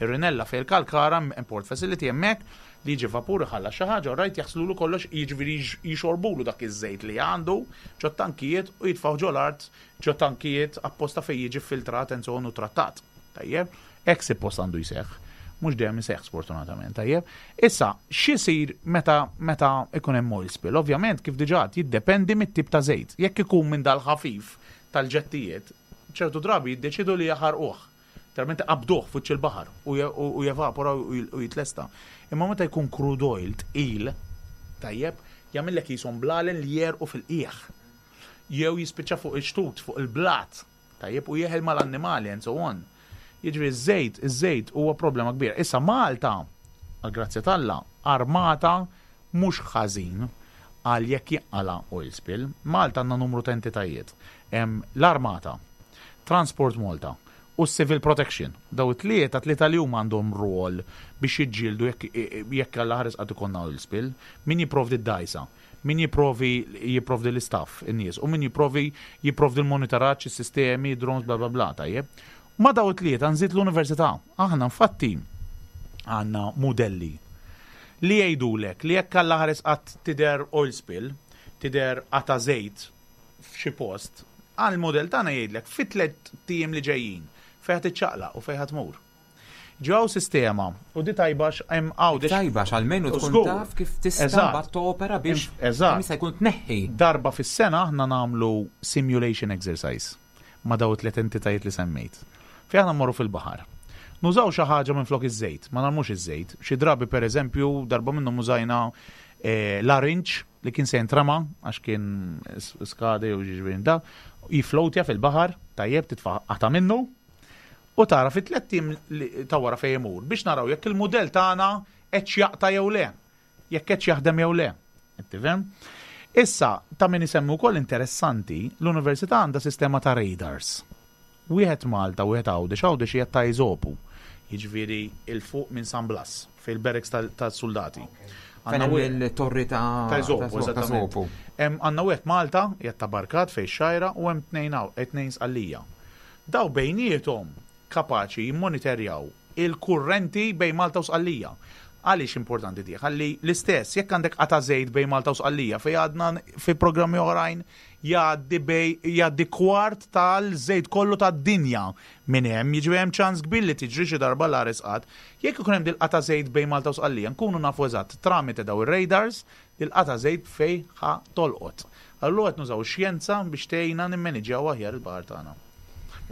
Ir-Rinella fejn il-Kalkara hemm port facility hemmhekk li jiġi vapur iħallas xi ħaġa u rajt jaħslulu kollox jiġifieri jixorbulu dak iż-żejt li għandu ġo tankijiet u jitfgħu ġol-art ġo tankijiet apposta fejn jiġi filtrat and so on u trattat. Tajjeb? Hekk suppost għandu jseħħ. Mhux dejjem iseħħ sfortunatament, tajjeb. Issa, x'isir meta meta ikun hemm oil spill? Ovvjament kif diġà għedt jiddependi mit-tip ta' żejt. Jekk ikun minn dal-ħafif tal-ġettijiet, ċertu drabi jiddeċiedu li jaħarquh. Literalment iqabbduh f'wiċċ il-baħar u jevapora u jitlesta. Imma meta jkun crude oil tqil, tajjeb, jagħmillek qishom blalen li jegħrqu fil-qiegħ. Jew jispiċċa fuq ix-xtut, fuq il-blat. Tajjeb, u jeħel mal-annimali and so on. Jiġifieri ż-żejt, iż-żejt huwa problema kbira. Issa Malta, għall-grazzja t'Alla, armata mhux ħażin għal jekk jinqala' oil spill. Malta għandna numru ta' entitajiet. Hemm l-Armata, Transport Malta u s-Civil Protection. Daw it-tlieta, tlieta li huma għandhom rwol biex jiġġieldu jekk jekk Alla ħares qatt ikollna oil spill. Min jipprovdi d-dgħajsa? Min jipprovi jipprovdi l-istaff, in-nies, u min jipprovi jipprovdi l-monitoraġġ, is-sistemi, drones, bla bla bla, tajjeb. Ma' daw it-tlieta nżid l-università. Aħna infatti għandna mudelli li jgħidulek li jekk Alla ħares qatt tidher oil spill, tidher qata' żejt f'xi post, għall-mudell tagħna jgħidlek fi tlett ijiem li ġejjin fejn ħa tiċċaqlaq u fejn ħa tmur. Ġew sistema u di tajba għax hemm Għawdex. Tajba għax almenu tkun taf kif tista' mbagħad topera biex kemm jista' jkun tneħħi. Darba fis-sena aħna nagħmlu simulation exercise ma' dawn it-tliet entitajiet li semmejt. Fejn aħna mmorru fil-baħar. Nużaw xi ħaġa minflok iż-żejt, ma narmux iż-żejt. Xi drabi pereżempju darba minnhom użajna larinġ li kien se jintrema għax kien skade jew ġiġifieri da, jiflowtja fil-baħar, tajjeb titfa' qata' minnu, u tara fi tlett ijiem ta' wara fejn imur biex naraw jekk il-mudell tagħna qedx jaqta' jew le, jekk qedx jaħdem jew le. Qed tifhem? Issa, ta' min isemmi wkoll interessanti, l-università għandha sistema ta' radars. Wieħed Malta, wieħed Għawdex, Għawdex hija ta' Eżopu, jiġifieri 'l fuq minn San Blas, fejn il-barracks tas-suldati. Fejn hemm il-torri ta' Ta' Eżopu, eżattament. Għandna wieħed Malta, qiegħed ta' Barkat fejn ix-Xgħajra, u hemm tnejn tnejn Sqallija. Dawn bejniethom kapaċi jimmoniterjaw il-kurrenti bejn Malta u Sqallija. Għaliex importanti di? Ħalli l-istess, jekk għandek qata' żejt bejn Malta u Sqallija fejn għadna fi programmi oħrajn jgħaddi bej jgħaddi kwart tal-żejt kollu tad-dinja minn hemm, jiġifieri hemm ċans kbir li tiġri xi darba l-agħar isqat. Jekk ikun hemm dil-qata' żejt bejn Malta u Sqallija nkunu nafu eżatt tramite daw ir-radars dil-qata' żejt fejn ħa tolqot. Allura qed nużaw ix-xjenza biex tgħinna nimmaniġjaw aħjar il-baħar tagħna.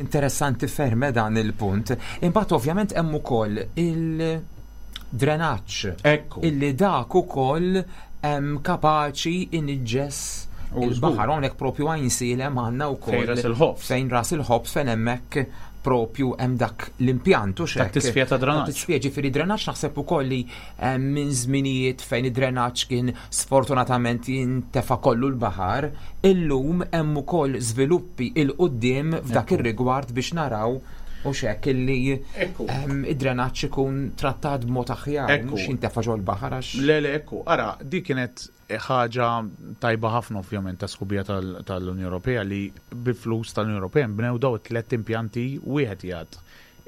Interessanti ferm eh, dan il-punt. Imbagħad ovvjament hemm ukoll il-drenaġġ. Ekku. Illi dak ukoll hemm kapaċi iniġġes il-baħar hawnhekk propju Għajnsielem għandna wkoll. Fejn ras il-ħobż. Fejn ras il-ħobż fejn hemmhekk propju hemm dak l-impjant u xek. Tat-tisfija ta' drenaġġ. Tisfija ġifieri drenaġġ naħseb ukoll li eh, minn żminijiet fejn id-drenaġġ kien sfortunatament jintefa' kollu l-baħar, illum hemm ukoll żviluppi 'il quddiem f'dak ir-rigward biex naraw u xek illi ehm, id-drenaġġ ikun trattat b'mod aħjar, mhux jintefa' ġol-baħar għax. Le, le, ekku, ara, di kienet ħaġa tajba ħafna ovvjament ta' sħubija tal-Unjoni Ewropea li bi flus tal-Unjoni Ewropea nbnew daw it-tlet impjanti wieħed jgħad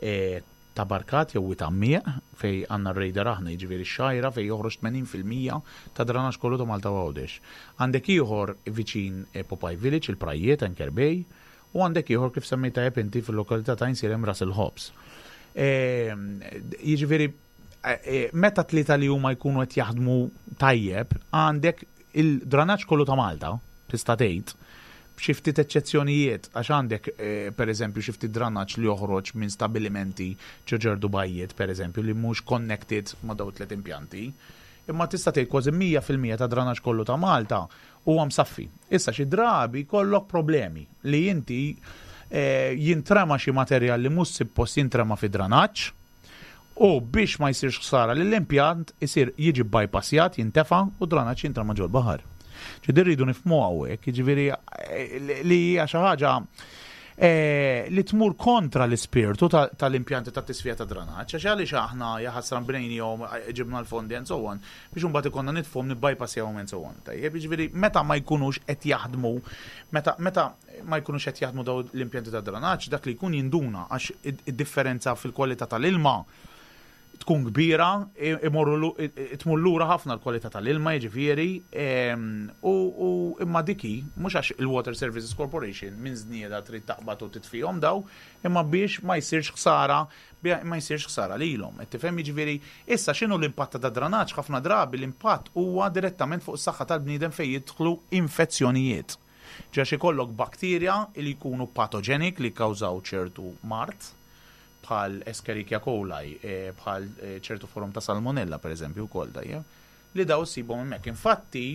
eh, Ta' Barkat jew Wied Għammieq, fejn għandna r-radar aħna, jiġifieri x-Xgħajra fejn joħroġ 80% tad-dranaġġ kollu ta' Malta u Għawdex. Għandek ieħor viċin Popeye Village, il-Prajjiet, Anchor Bay, u għandek ieħor kif semmejt tajjeb inti fil-lokalità ta' Għajnsielem Ras il-Ħobż. Jiġifieri meta tlieta li huma jkunu qed jaħdmu tajjeb, għandek il-dranaġġ kollu ta' Malta, tista' tgħid, b'xi ftit eċċezzjonijiet, għax għandek pereżempju xi ftit dranaġġ li joħroġ minn stabilimenti ġo ġerdu bajjiet, pereżempju, li mhux connected ma' dawn it-tliet impjanti. Imma tista' tgħid kważi 100% tad-dranaġġ kollu ta' Malta huwa msaffi. Issa xi drabi jkollok problemi li inti jintrema xi materjal li mhux suppost jintrema fid-dranaġġ, U biex ma jsirx ħsara lill-impjant, isir jiġi bbypassjat, jintefa' u d-dranaġġ jintrema ġol-baħar. Ġifieri rridu nifhmuha hawnhekk, jiġifieri li hija xi ħaġa li tmur kontra l-ispirtu tal-impjanti tat-tisfija tad-dranaġġ, għax għaliex aħna jaħasra nbnejnihom, ġibna l-fondi and so on, biex imbagħad ikollna nitfuhom nibbypassjawhom and so on. Tajjeb, jiġifieri meta ma jkunux qed jaħdmu, meta meta ma jkunux qed jaħdmu dawn l-impjanti ta' dranaġġ, dak li jkun jinduna għax id-differenza fil-kwalità tal-ilma tkun kbira, imorru tmur lura ħafna l-kwalità tal-ilma jiġifieri, u imma dik hi, mhux għax il-Water Services Corporation minn żnieda trid taqbad u titfihom daw, imma biex ma jsirx ħsara ma jsirx ħsara lilhom. Qed tifhem jiġifieri issa x'inhu l-impatt ta' dranaġġ ħafna drabi l-impatt huwa direttament fuq is-saħħa tal-bniedem fejn jidħlu infezzjonijiet. Għax ikollok bakterja li jkunu patogenic li jikkawżaw ċertu mard, bħal Escherichia coli, bħal ċertu forom ta' salmonella pereżempju wkoll tajjeb, li daw issibhom hemmhekk. Infatti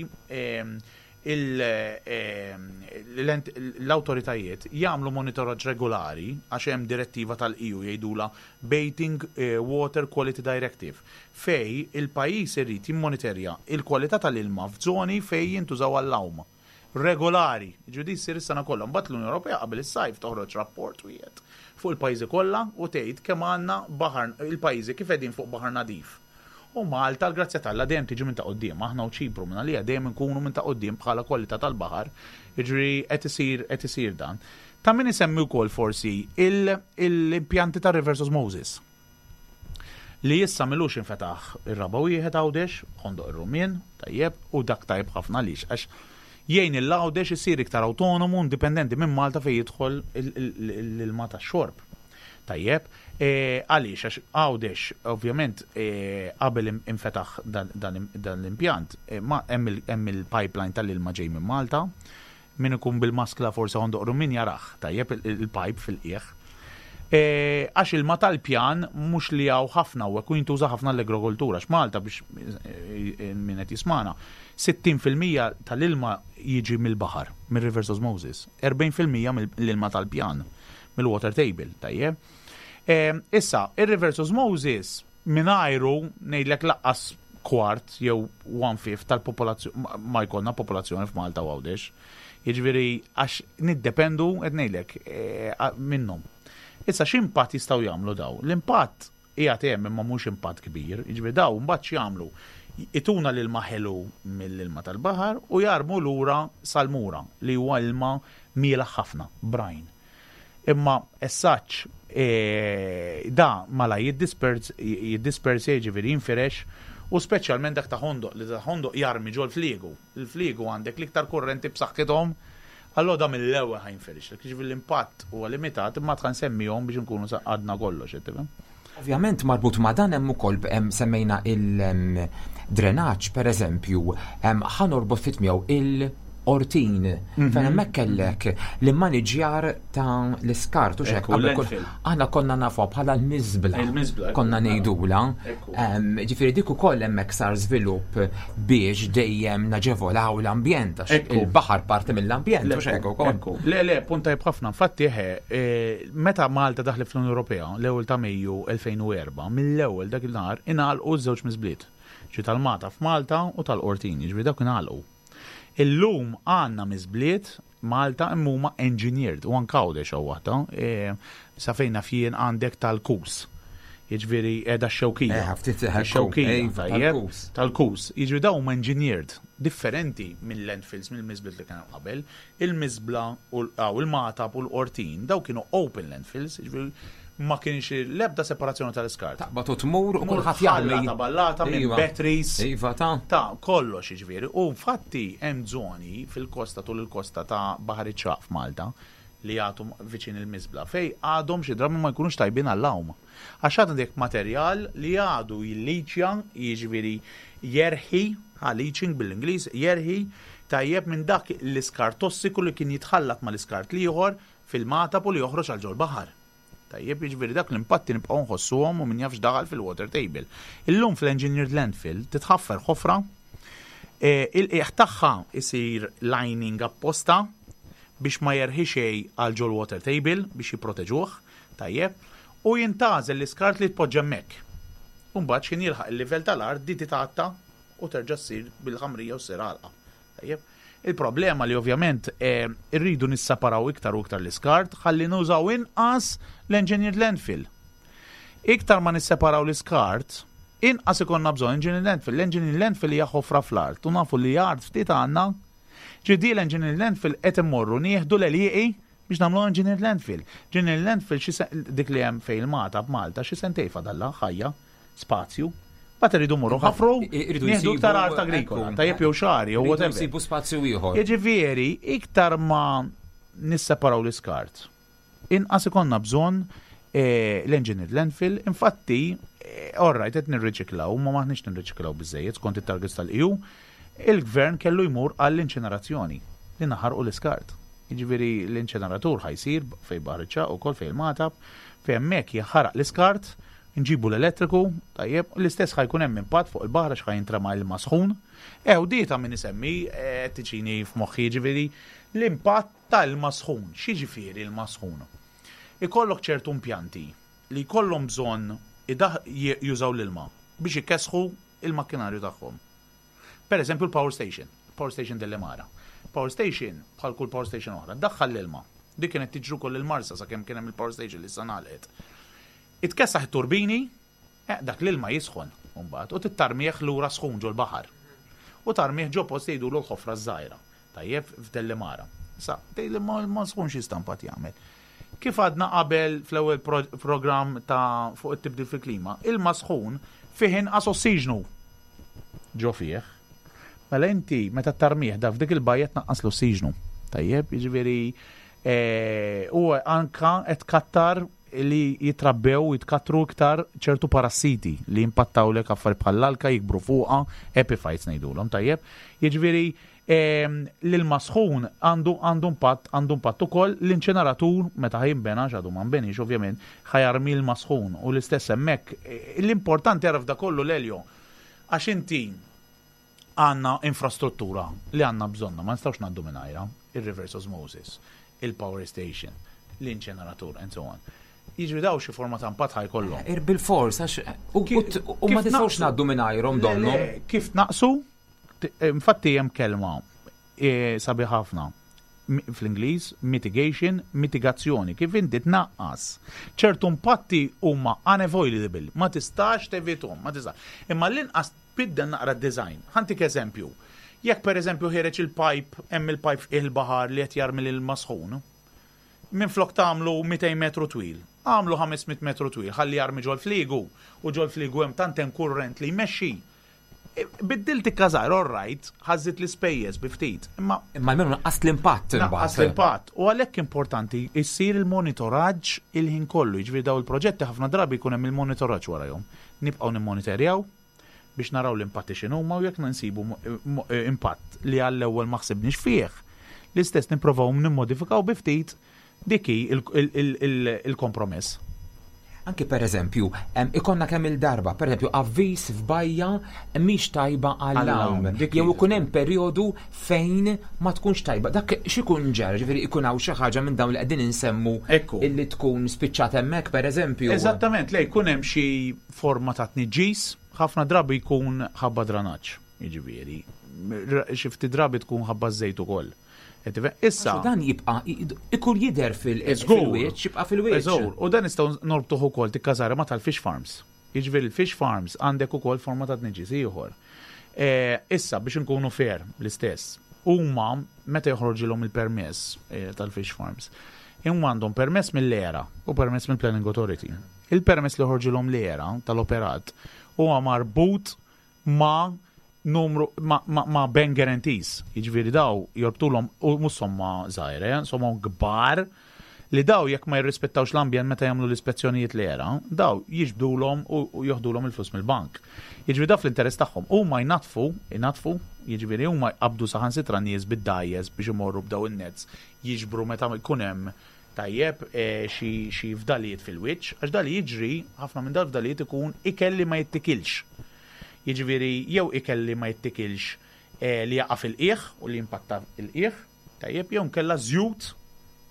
l-awtoritajiet jagħmlu monitoraġġ regolari għax hemm direttiva tal-EU jgħidulha Bathing Water Quality Directive fejn il-pajjiż irid jimmoniterja l-kwalità tal-ilma f'żoni fejn jintużaw għall-għawm. regolari, jiġifieri din ssir is-sena kollha. Mbagħad l-Unjoni Ewropea qabel is-sajf toħroġ rapport wieħed fuq il-pajjiżi kollha u tgħid kemm għandna baħar il-pajjiżi kif qegħdin fuq baħar nadif. U Malta l-grazzja t'Alla dejjem tiġi minn ta' quddiem, aħna u Ċipru minn għalija dejjem inkunu minn ta' quddiem bħala kwalità tal-baħar, jiġifieri qed isir qed isir dan. Ta' min isemmi wkoll forsi l-impjanti tar-reverse osmosis. Li issa m'ilux infetaħ ir-raba' wieħed Għawdex, Ħondoq ir-Rummien, tajjeb, u dak tajjeb ħafna għaliex? Għax jgħin lil Għawdex isir iktar awtonomu, indipendenti minn Malta fejn jidħol l-ilma tax-xorb. Tajjeb, għaliex? Għax Għawdex, ovvjament, qabel infetaħ dan l-impjant, hemm il-pipeline tal-ilma ġej minn Malta, Min ikun bil-maskla forsi Ħondoq Rummien jarah, tajjeb, il-pajp fil-qiegħ. Għax ilma tal-pjan mhux li hawn ħafna hawnhekk u jintuża ħafna l-agrokultura. Għax Malta biex min qed jismagħna, 60% tal-ilma jiġi mill-baħar, mir-reverse osmosis, 40% mill-ilma tal-pjan, mill-water table, tajjeb. Issa, ir-reverse osmosis Mingħajru, ngħidlek laqqas kwart jew one fifth tal-popolazzjoni ma jkollna popolazzjoni f'Malta u Għawdex. Jiġifieri għax niddependu qed ngħidlek eh, minnhom. Issa x'impatt jistgħu jagħmlu daw? L-impatt qiegħed hemm imma mhux impatt kbir, jiġifieri daw mbagħad x'jagħmlu? Ituna l-ilma ħelu mill-ilma tal-baħar u jarmu lura salmura li huwa ilma mielaħ ħafna, brine. Imma as such, e, da mala jiddispersi jiġifieri jinfirex u speċjalment dak ta' Ħondoq li ta' Ħondoq jarmi ġol fliegu. Il-fliegu għandek l-iktar kurrenti b'saħħithom, allura da mill-ewwel ħa jinfirixlek. Jiġifieri l-impatt huwa limitat imma tħa nsemmihom biex inkunu għadna kollox, qed tifhem? Ovvjament marbut ma' dan hemm ukoll semmejna il-drenaġġ pereżempju, ħa norbot ftit miegħu il-Qortin fejn hemmhekk kellek l-immaniġjar ta' l-iskart u xek. Aħna konna nafuha bħala l-miżbla. Il-miżbla. Konna ngħidula. Ġifieri dik ukoll hemmhekk sar żvilupp biex dejjem naġevolaw l-ambjent għax il-baħar parti mill-ambjent u xek ukoll. Le, le, punt tajjeb ħafna. Infatti, e, meta Malta daħlet fl-Unjoni Ewropea l-ewwel ta' Mejju 2004, mill-ewwel dak il-nhar ingħalqu ż-żewġ miżbliet. Ġi tal-Mata f'Malta u tal-Qortin, jiġifieri dawk ingħalqu. Illum għandna miżbliet Malta imma huma engineered u anke Għawdex hawn waħda. E, sa fejn naf jien għandek tal-kus. Jiġifieri qiegħda x-xewkija. Eh, ftit Ix-xewkija, iva, tajjeb, tal-kus. Tal-kus. Jiġifieri dawn huma engineered, differenti minn landfills, mill-miżbliet li kien hemm qabel. Il-miżbla u il-Magħtab u l-Qortin, dawn kienu open landfills, jiġifieri ma kienx l-ebda separazzjoni tal-iskart. Taqbad u tmur u kulħadd jarmi. Ta' ballata minn Iva. batteries. Iva ta' Ta' kollox jiġifieri. U infatti hemm żoni fil-kosta tul il-kosta ta' Baħar iċ-Ċagħaq f'Malta li jagħtu viċin il-miżbla fej għadhom xi drabi ma jkunux tajbin għall-għawm. Għax għad għandek materjal li għadu jilliċja, jiġifieri jerħi, ha leaching bil-Ingliż, jerħi tajjeb minn dak l-iskart tossiku li kien jitħallat mal-iskart l-ieħor fil-Magħtab u li joħroġ għal ġol-baħar. Tajjeb, jiġifieri dak l-impatti nibqgħu nħossuhom u min jaf x'daħal fil-water table. Illum fl-engineered landfill titħaffer ħofra, e, il-qiegħ tagħha isir lining apposta biex ma jerħi xejn għal ġol water table biex jipproteġuh, tajjeb, u jintgħażel l-iskart li tpoġġa hemmhekk. U mbagħad x'ħin jilħaq il-livell tal-art di titgħatta u terġa' ssir bil-ħamrija u ssir għalqa. Tajjeb. Il-problema li ovvjament eh, irridu nissaparaw iktar u iktar l-iskart ħalli nużaw inqas l-engineered landfill. Iktar ma nisseparaw l-iskart, inqas ikollna bżonn engineered landfill. L-engineered landfill hija ħofra fl-art u nafu li art ftit għandna. Ġidi l-engineered landfill qed immorru nieħdu l-għelieqi biex nagħmlu engineered landfill. Engineered landfill xi dik li hemm fejn il-Mata b'Malta xi sentej fadalla ħajja spazju. Bat irridu morru ħafru, Irridu nieħdu jsibu- iktar art agrikola, ekku. tajjeb jew xagħri jew Irridu whatever. jsibu spazju ieħor. Jiġifieri, iktar ma nisseparaw l-iskart, inqas ikollna bżonn eh, l-engineered landfill, infatti, eh, all right, qed nirriċiklaw, ma maħniex nirriċiklaw biżejjed skont it-targets tal-EU, il-gvern kellu jmur għall-inċinerazzjoni li naħarqu l-iskart. Jiġifieri l-inċineratur ħa jsir fejn Baħar iċ-Ċagħaq ukoll fejn il-Magħtab, fejn hemmhekk jaħaraq l-iskart, nġibu l-elettriku, tajjeb, l-istess ħa jkun hemm impatt fuq il-baħar għax ħa jintrema ilma sħun. Ew, di ta' min isemmi, eh, tiġini f'moħħi ġifieri l-impatt tal-ilma sħun. X'jiġifieri ilma sħun? Ikollok ċertu impjanti li jkollhom bżonn jużaw l-ilma biex ikesħu il-makkinarju tagħhom. Per eżempju l-power station, power station Delimara. Power station, bħal kull power station oħra, daħħal l-ilma. Dik kienet tiġru koll il-Marsa sakemm kien hemm il-power station li issa ngħalqet. Itkessaħ it-turbini, eh, dak l-ilma jisħon mbagħad u tittarmieħ lura sħun ġol baħar. U tarmieħ ġo post jgħidulu l-ħofra żgħira. Tajjeb f'Dellimara. Sa, tgħid li ma sħun xi stampat jagħmel. Kif għadna qabel fl-ewwel programm ta' fuq it-tibdil fil-klima, ilma sħun fih inqas ossiġnu ġo fih. Mela inti meta tarmieħ da f'dik il-bajja tnaqqas l-ossiġnu. Tajjeb, jiġifieri eh, u anka qed kattar li jitrabbew u jitkattru iktar ċertu parassiti li jimpattawlek affarijiet bħall-alka jikbru fuqha, epiphytes ngħidulhom, tajjeb. Jiġifieri ehm, l-ilma sħun għandu għandu impatt għandu impatt ukoll l-inċineratur meta ħa jinbena x'għadu ma nbenix ovvjament ħa jarmi l-ilma sħun u l-istess hemmhekk. Eh, L-importanti għaraf da kollu l-Elio għax inti għandna infrastruttura li għandna bżonna, ma nistgħux ngħaddu mingħajrha, il-reverse osmosis, il-power station, l-inċineratur, and so on. Jiġri daw xi forma ta' impatt ħa jkollhom. Ir bil-fors, għax u u ma Kif tistgħux naqsu? ngħaddu mingħajrhom Le, donnu. le, Kif naqsu? Infatti hemm kelma eh, sabiħ ħafna fl-Ingliż mitigation, mitigazzjoni, kif inti tnaqqas. ċertu impatti huma unavoidable, ma tistax tevitahom, ma tistax. Imma l-inqas tbiddel naqra design. Ħa ntik eżempju. Jekk per eżempju ħiereġ il-pipe, hemm il-pipe il-baħar li qed jarmi l-ilma sħun. Minflok tagħmlu 200 metru twil, agħmlu 500 metru twil ħalli jarmi ġol-fliegu u ġol-fliegu hemm tant hemm kurrent li jmexxi. Biddilt ikka żgħir, all right, ħa żżid l-ispejjeż bi ftit, imma Imma almenu naqqast l-impatt Naqqas imbagħad. l-impatt. U għalhekk importanti jsir il-monitoraġġ il-ħin kollu. Jiġifieri daw il-proġetti ħafna drabi jkun hemm il-monitoraġġ warahom. Nibqgħu nimmonitorjaw biex naraw l-impatti x'inhuma u jekk nsibu impatt li għall-ewwel ma ħsibniex fih, l-istess nipprovaw nimmodifikaw bi ftit dik hi il-kompromess. Anki per eżempju, ikollna kemm il-darba, per eżempju, avviż f'bajja mhix tajba għall-għawm. Dik Jew ikun hemm perjodu fejn ma tkunx tajba. Dak x'ikun ġara, ġifieri ikun hawn xi ħaġa minn dawn li qegħdin insemmu illi tkun spiċċat hemmhekk per eżempju. Eżattament, le jkun hemm xi forma ta' tniġġis, ħafna drabi jkun ħabba dranaġġ, jiġifieri. Xi ftit drabi tkun ħabba żejt ukoll. Issa. Dan jibqa' ikun jidher fil-wiċċ, jibqa' fil-wiċċ. Żgur, u dan nistgħu norbtuh ukoll tikkażara ma' tal-fish farms. Jiġifieri l-fish farms għandek ukoll forma ta' tniġġis ieħor. Issa biex inkunu fair l-istess, huma meta joħroġilhom il-permess tal-fish farms, huma għandhom permess mill-ERA u permess mill-Planning Authority. Il-permess li joħroġilhom l-ERA tal-operat huwa marbut ma' numru ma' bank guarantees. Jiġifieri daw jorbtulhom u mhux somma żgħira, somma kbar li daw jekk ma jirrispettawx l-ambjent meta jagħmlu l-ispezzjonijiet l-ERA, daw jiġbdulhom u joħdulhom il-flus mill-bank. Jiġifieri daw fl-interess tagħhom huma jnatfu, jnatfu, jiġifieri huma jqabdu saħansitra nies bid-dgħajjes biex imorru b'daw in-nets jiġbru meta jkun hemm tajjeb xi fdalijiet fil-wiċċ, għax dali jiġri ħafna minn dal-fdalijiet ikun ikel li ma jittikilx. Jiġifieri jew ikel li ma jittikilx li jaqa' fil-qiegħ u li jimpatta il-qiegħ, tajjeb, jew nkella żjut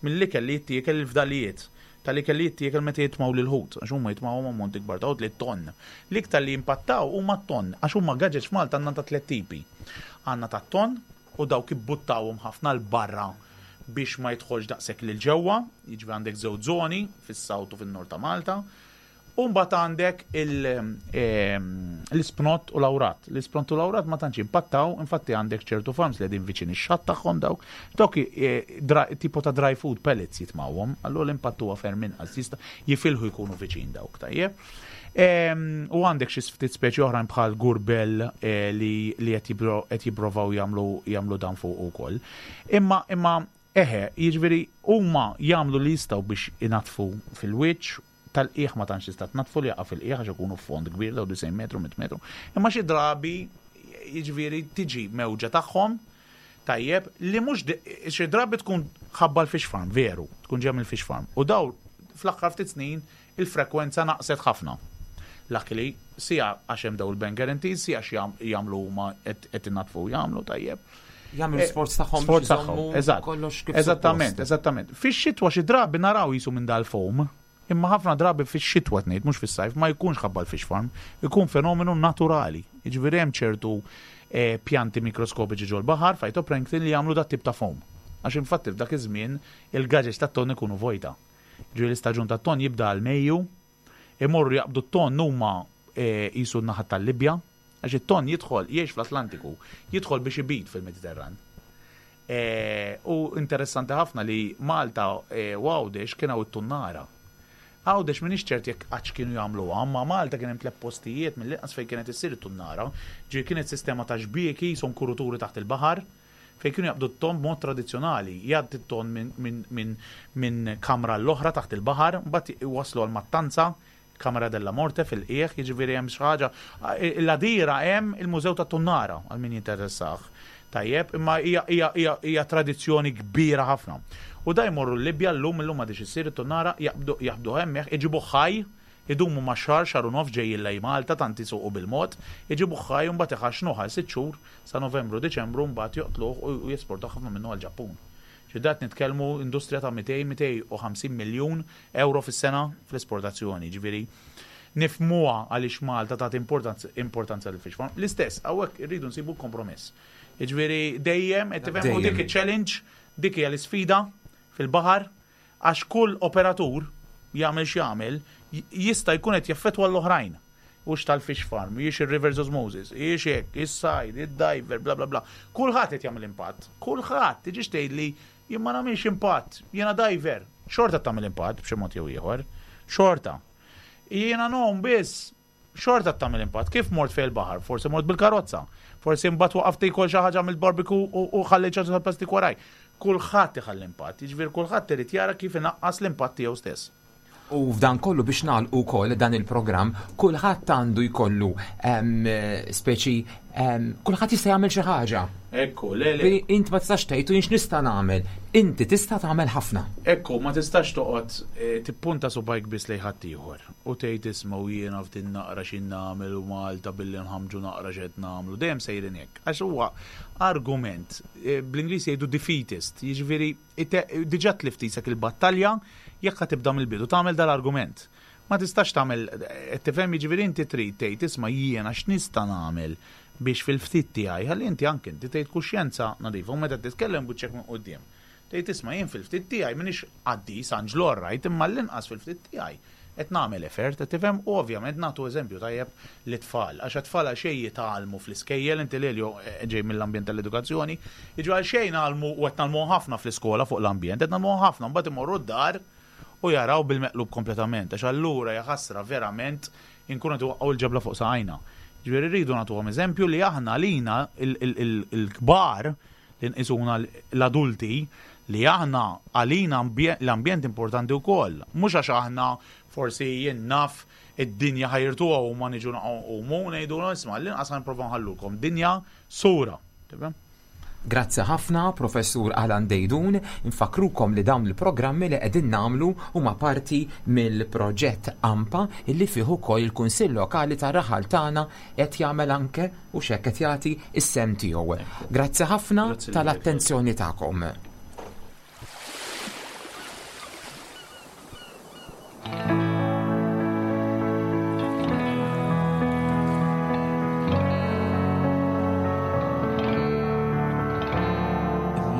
mill-ikel li jittiekel il-fdalijiet tal-ikel li jittiekel meta jitmaw lil-ħut, għax huma jitmawhom ammonti kbar ta' ħut li ton. L-iktar li jimpattaw huma t-ton, għax huma gaġeġ f'Malta għandna ta' tliet tipi. Għandna ta' ton u dawk ibbuttawhom ħafna 'l barra biex ma jidħolx daqshekk lil ġewwa, jiġifieri għandek żewġ żoni fis-south u fin-nord ta' Malta. U mbagħad għandek l-ispnott u l-awrat. L-ispnott u l-awrat ma tantx impattaw, infatti għandek ċertu farms li qegħdin viċin ix-xatt tagħhom dawk. Dawk tipo ta' dry food pellets jitmawhom, allura l-impatt huwa ferm inqas, jista' jifilħu jkunu viċin dawk, tajjeb. U għandek xi ftit speċi oħrajn bħal gurbel li qed jipprovaw jagħmlu dan fuq ukoll. Imma eħe, jiġifieri huma jagħmlu li jistgħu biex inatfu fil-wiċċ, tal-qiegħ ma tantx tista' tnatfu li jaqa' fil-qiegħ għax ikunu fond kbir daw 90 metru, 100 metru. Imma xi drabi jiġifieri tiġi mewġa tagħhom tajjeb li mhux xi drabi tkun ħabba l-fish farm, veru, tkun ġejja mill-fish farm. U daw fl-aħħar ftit snin il-frekwenza naqset ħafna. Luckily, sija għax hemm daw il-bank guarantees, sija għax jagħmlu huma qed inatfu jagħmlu tajjeb. Jagħmlu sforz tagħhom Sforz biex tagħhom, iżommu eżatt. kollox kif Eżattament, suppost. eżattament. Fix-xitwa xi drabi naraw jisu minn dal-foam, imma ħafna drabi fix-xitwa tnejt, mhux fis-sajf, ma jkunx ħabba l-fish farm, ikun fenomenu naturali. Jiġifieri hemm ċertu pjanti mikroskopiċi ġol-baħar, phytoplankton li jagħmlu dat tip ta' foam. Għax infatti f'dak iż-żmien il-gaġeġ tat-ton ikunu vojta. Ġifieri l-istaġun tat-ton jibda għal Mejju, imorru jaqbdu t-ton huma jisu n-naħa tal-Libja, għax it-ton jidħol jgħix fl-Atlantiku, jidħol biex ibid fil-Mediterran. U interessanti ħafna li Malta u Għawdex kien hawn it-tunnara. Għawdex m'iniex ċert jekk qattx kienu jagħmluha, imma Malta kien hemm tliet postijiet mill-inqas fejn kienet issir it-tunnara. Ġifieri kienet sistema ta' xbieki jisom kuruturi taħt il-baħar fejn kienu jaqbdu t-ton b'mod tradizzjonali. Jgħaddi t-ton minn kamra l-oħra taħt il-baħar, mbagħad iwasslu għal mattanza, Kamra della Morte fil-qiegħ, jiġifieri hemm xi ħaġa. L-Għadira hemm il-Mużew tat-Tunnara għal min jinteressah. Tajjeb, imma hija tradizzjoni kbira ħafna. U da jmorru l-Libja llum, illum m'għadix issir it-tunnara, jaqbdu hemmhekk, iġibu ħaj, idumu ma' xahar, xahar u nofs ġejjin lej Malta, tant isuqu bil-mod, iġibu ħaj u mbagħad iħaxnuh għal 6 xhur sa Novembru, Diċembru mbagħad joqtluh u jesportaw ħafna minnu għall-Ġappun. Ġi dat nitkellmu industrija ta' mitej, mitej u ħamsin miljun euro fis-sena fl-esportazzjoni, ġifieri nifmuha għaliex Malta tagħti importanza lil fish farm. L-istess, hawnhekk irridu nsibu kompromess. Jiġifieri dejjem qed tifhem u dik iċ-challenge, dik hija l-isfida fil-baħar, għax kull operatur jagħmel x'jagħmel jista' jkun qed jaffettwa l-oħrajn. Hux tal-fish farm, jiex il-reverse osmosis, jiex hekk, is-sajd, id-diver, bla bla bla. Kulħadd qed jagħmel impatt. Kulħadd, tiġix tgħidli. Jien ma nagħmilx impatt, jiena diver. Xorta tagħmel impatt b'xi mod jew ieħor. Xorta. Jiena ngħum biss, xorta tagħmel impatt. Kif mort fejn il-baħar? Forsi mort bil-karozza. Forsi mbagħad waqaft tiekol xi ħaġa mill-barbecue u ħallejt xi ħaġa tal-plastik waraj. Kulħadd iħalli impatt, jiġifieri kulħadd irid jara kif inaqqas l-impatt tiegħu stess. U f'dan kollu biex nagħlqu wkoll dan il-programm, kulħadd għandu jkollu speċi kulħadd jista' jagħmel xi ħaġa. Ekku, le le. Int ma tistax tgħid u jien x'nista' nagħmel. Inti tista' tagħmel ħafna. Ekku, ma tistax toqgħod eh, tippunta subajk biss lejn ħaddieħor u tgħid isma' u jiena f'din naqra xi nagħmel u Malta billi nħammġu naqra x'qed nagħmlu. Dejjem sejrin hekk. Għax huwa argument, eh, bl-Ingliż jgħidu defeatist, jiġifieri Diġà tlift qisek il-battalja jekk ħa tibda mill-bidu tagħmel dal-argument. Ma tistax tagħmel, qed tifhem, jiġifieri inti trid tgħid isma' jiena x'nista' nagħmel biex fil-ftit tiegħi, ħalli inti anke inti tgħid kuxjenza nadifa u meta titkellem b'wiċċek minn quddiem. Tgħid isma' jien fil-ftit tiegħi m'iniex qaddis, anġlu all right, imma l-inqas fil-ftit tiegħi qed nagħmel effort, qed tifhem, u ovvjament nagħtu eżempju tajjeb lit-tfal, għax għat-tfal għal xejn jitgħallmu fl-iskejjel, inti Lelio ġej mill-ambjent tal-edukazzjoni, jiġu għal xejn ngħallmu u qed ngħallmuhom ħafna fl-iskola fuq l-ambjent, qed ngħallmuhom ħafna, mbagħad imorru d-dar u jaraw bil-meqlub kompletament, għax allura jaħasra verament inkunu qed iwaqqgħu l-ġebla fuq saqajna. Ġifieri rridu nagħtuhom eżempju li aħna għalina il-kbar li nqisuna l-adulti li aħna għalina l-ambjent importanti wkoll. Mhux għax aħna forsi jien naf id-dinja ħajrtuha u ma niġu nqumu ngħidu isma' l-inqas ħa nipprova nħallulkom dinja sura. Tifhem? Grazzi ħafna Professur Alan Deidun, infakkrukom li dawn il-programmi li qegħdin nagħmlu huma parti mill-proġett AMPA illi fih ukoll il-Kunsill Lokali tar-raħal tagħna qed jagħmel anke u x'hekk qed jagħti s-sehem tiegħu. Grazzi ħafna tal-attenzjoni tagħkom.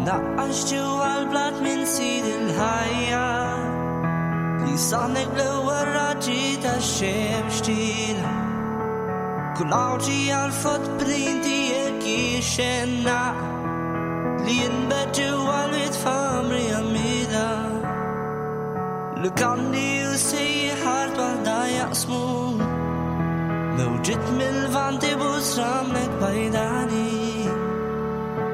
Imnaqqax ġewwa l-blat minn sid il-ħajja li saħnek bl-ewwel raġġi tax-xemx tila. Kull għawġi għal footprint tiegħek jixxenna li jinbet ġewwa l-wied f'għamri għamila. Lukandi u sejħar waħda jaqsmu mewġiet mill-vanti busramlek bajdani.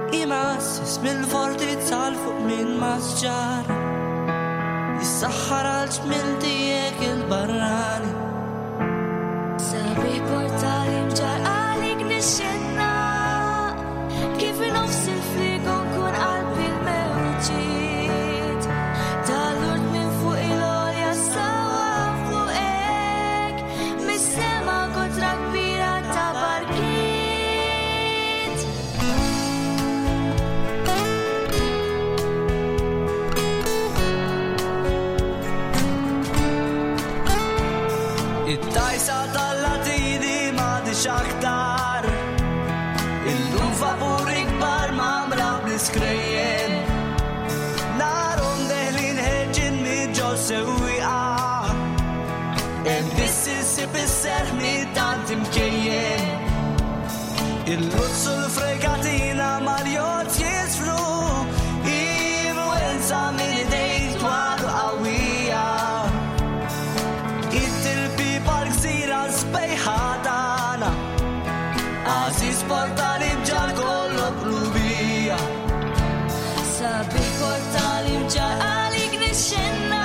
Imassis mill-fortizza l fuq minn masġar Jissaħħar għal ġmil tiegħek il-barrani. Sabiħ portali mġar għalik nixxenna kif nofs il-frigo nkun qalbi l-mewġiet tal-urt minn fuq il-għolja sawa fuqek mis-sema kotra kbira ta' barkiet. It-tajsa tal-latini m'għadix aktar. Illum vapuri kbar mamra bl-iskrejjen. Narhom deħlin ħerġin minn ġo sewwieqa. Hemm biss issib is-serħ minn tant imkejjen. Il-luzzu l-fregatina mal-jott jisfru. Influenza minn idejn twal u qawwija. It-tilbiba l-gżira sbejħa tagħna. Għażiż portali bġar kollok qlubija. Sabiħ portali mġar għalik nixxenna.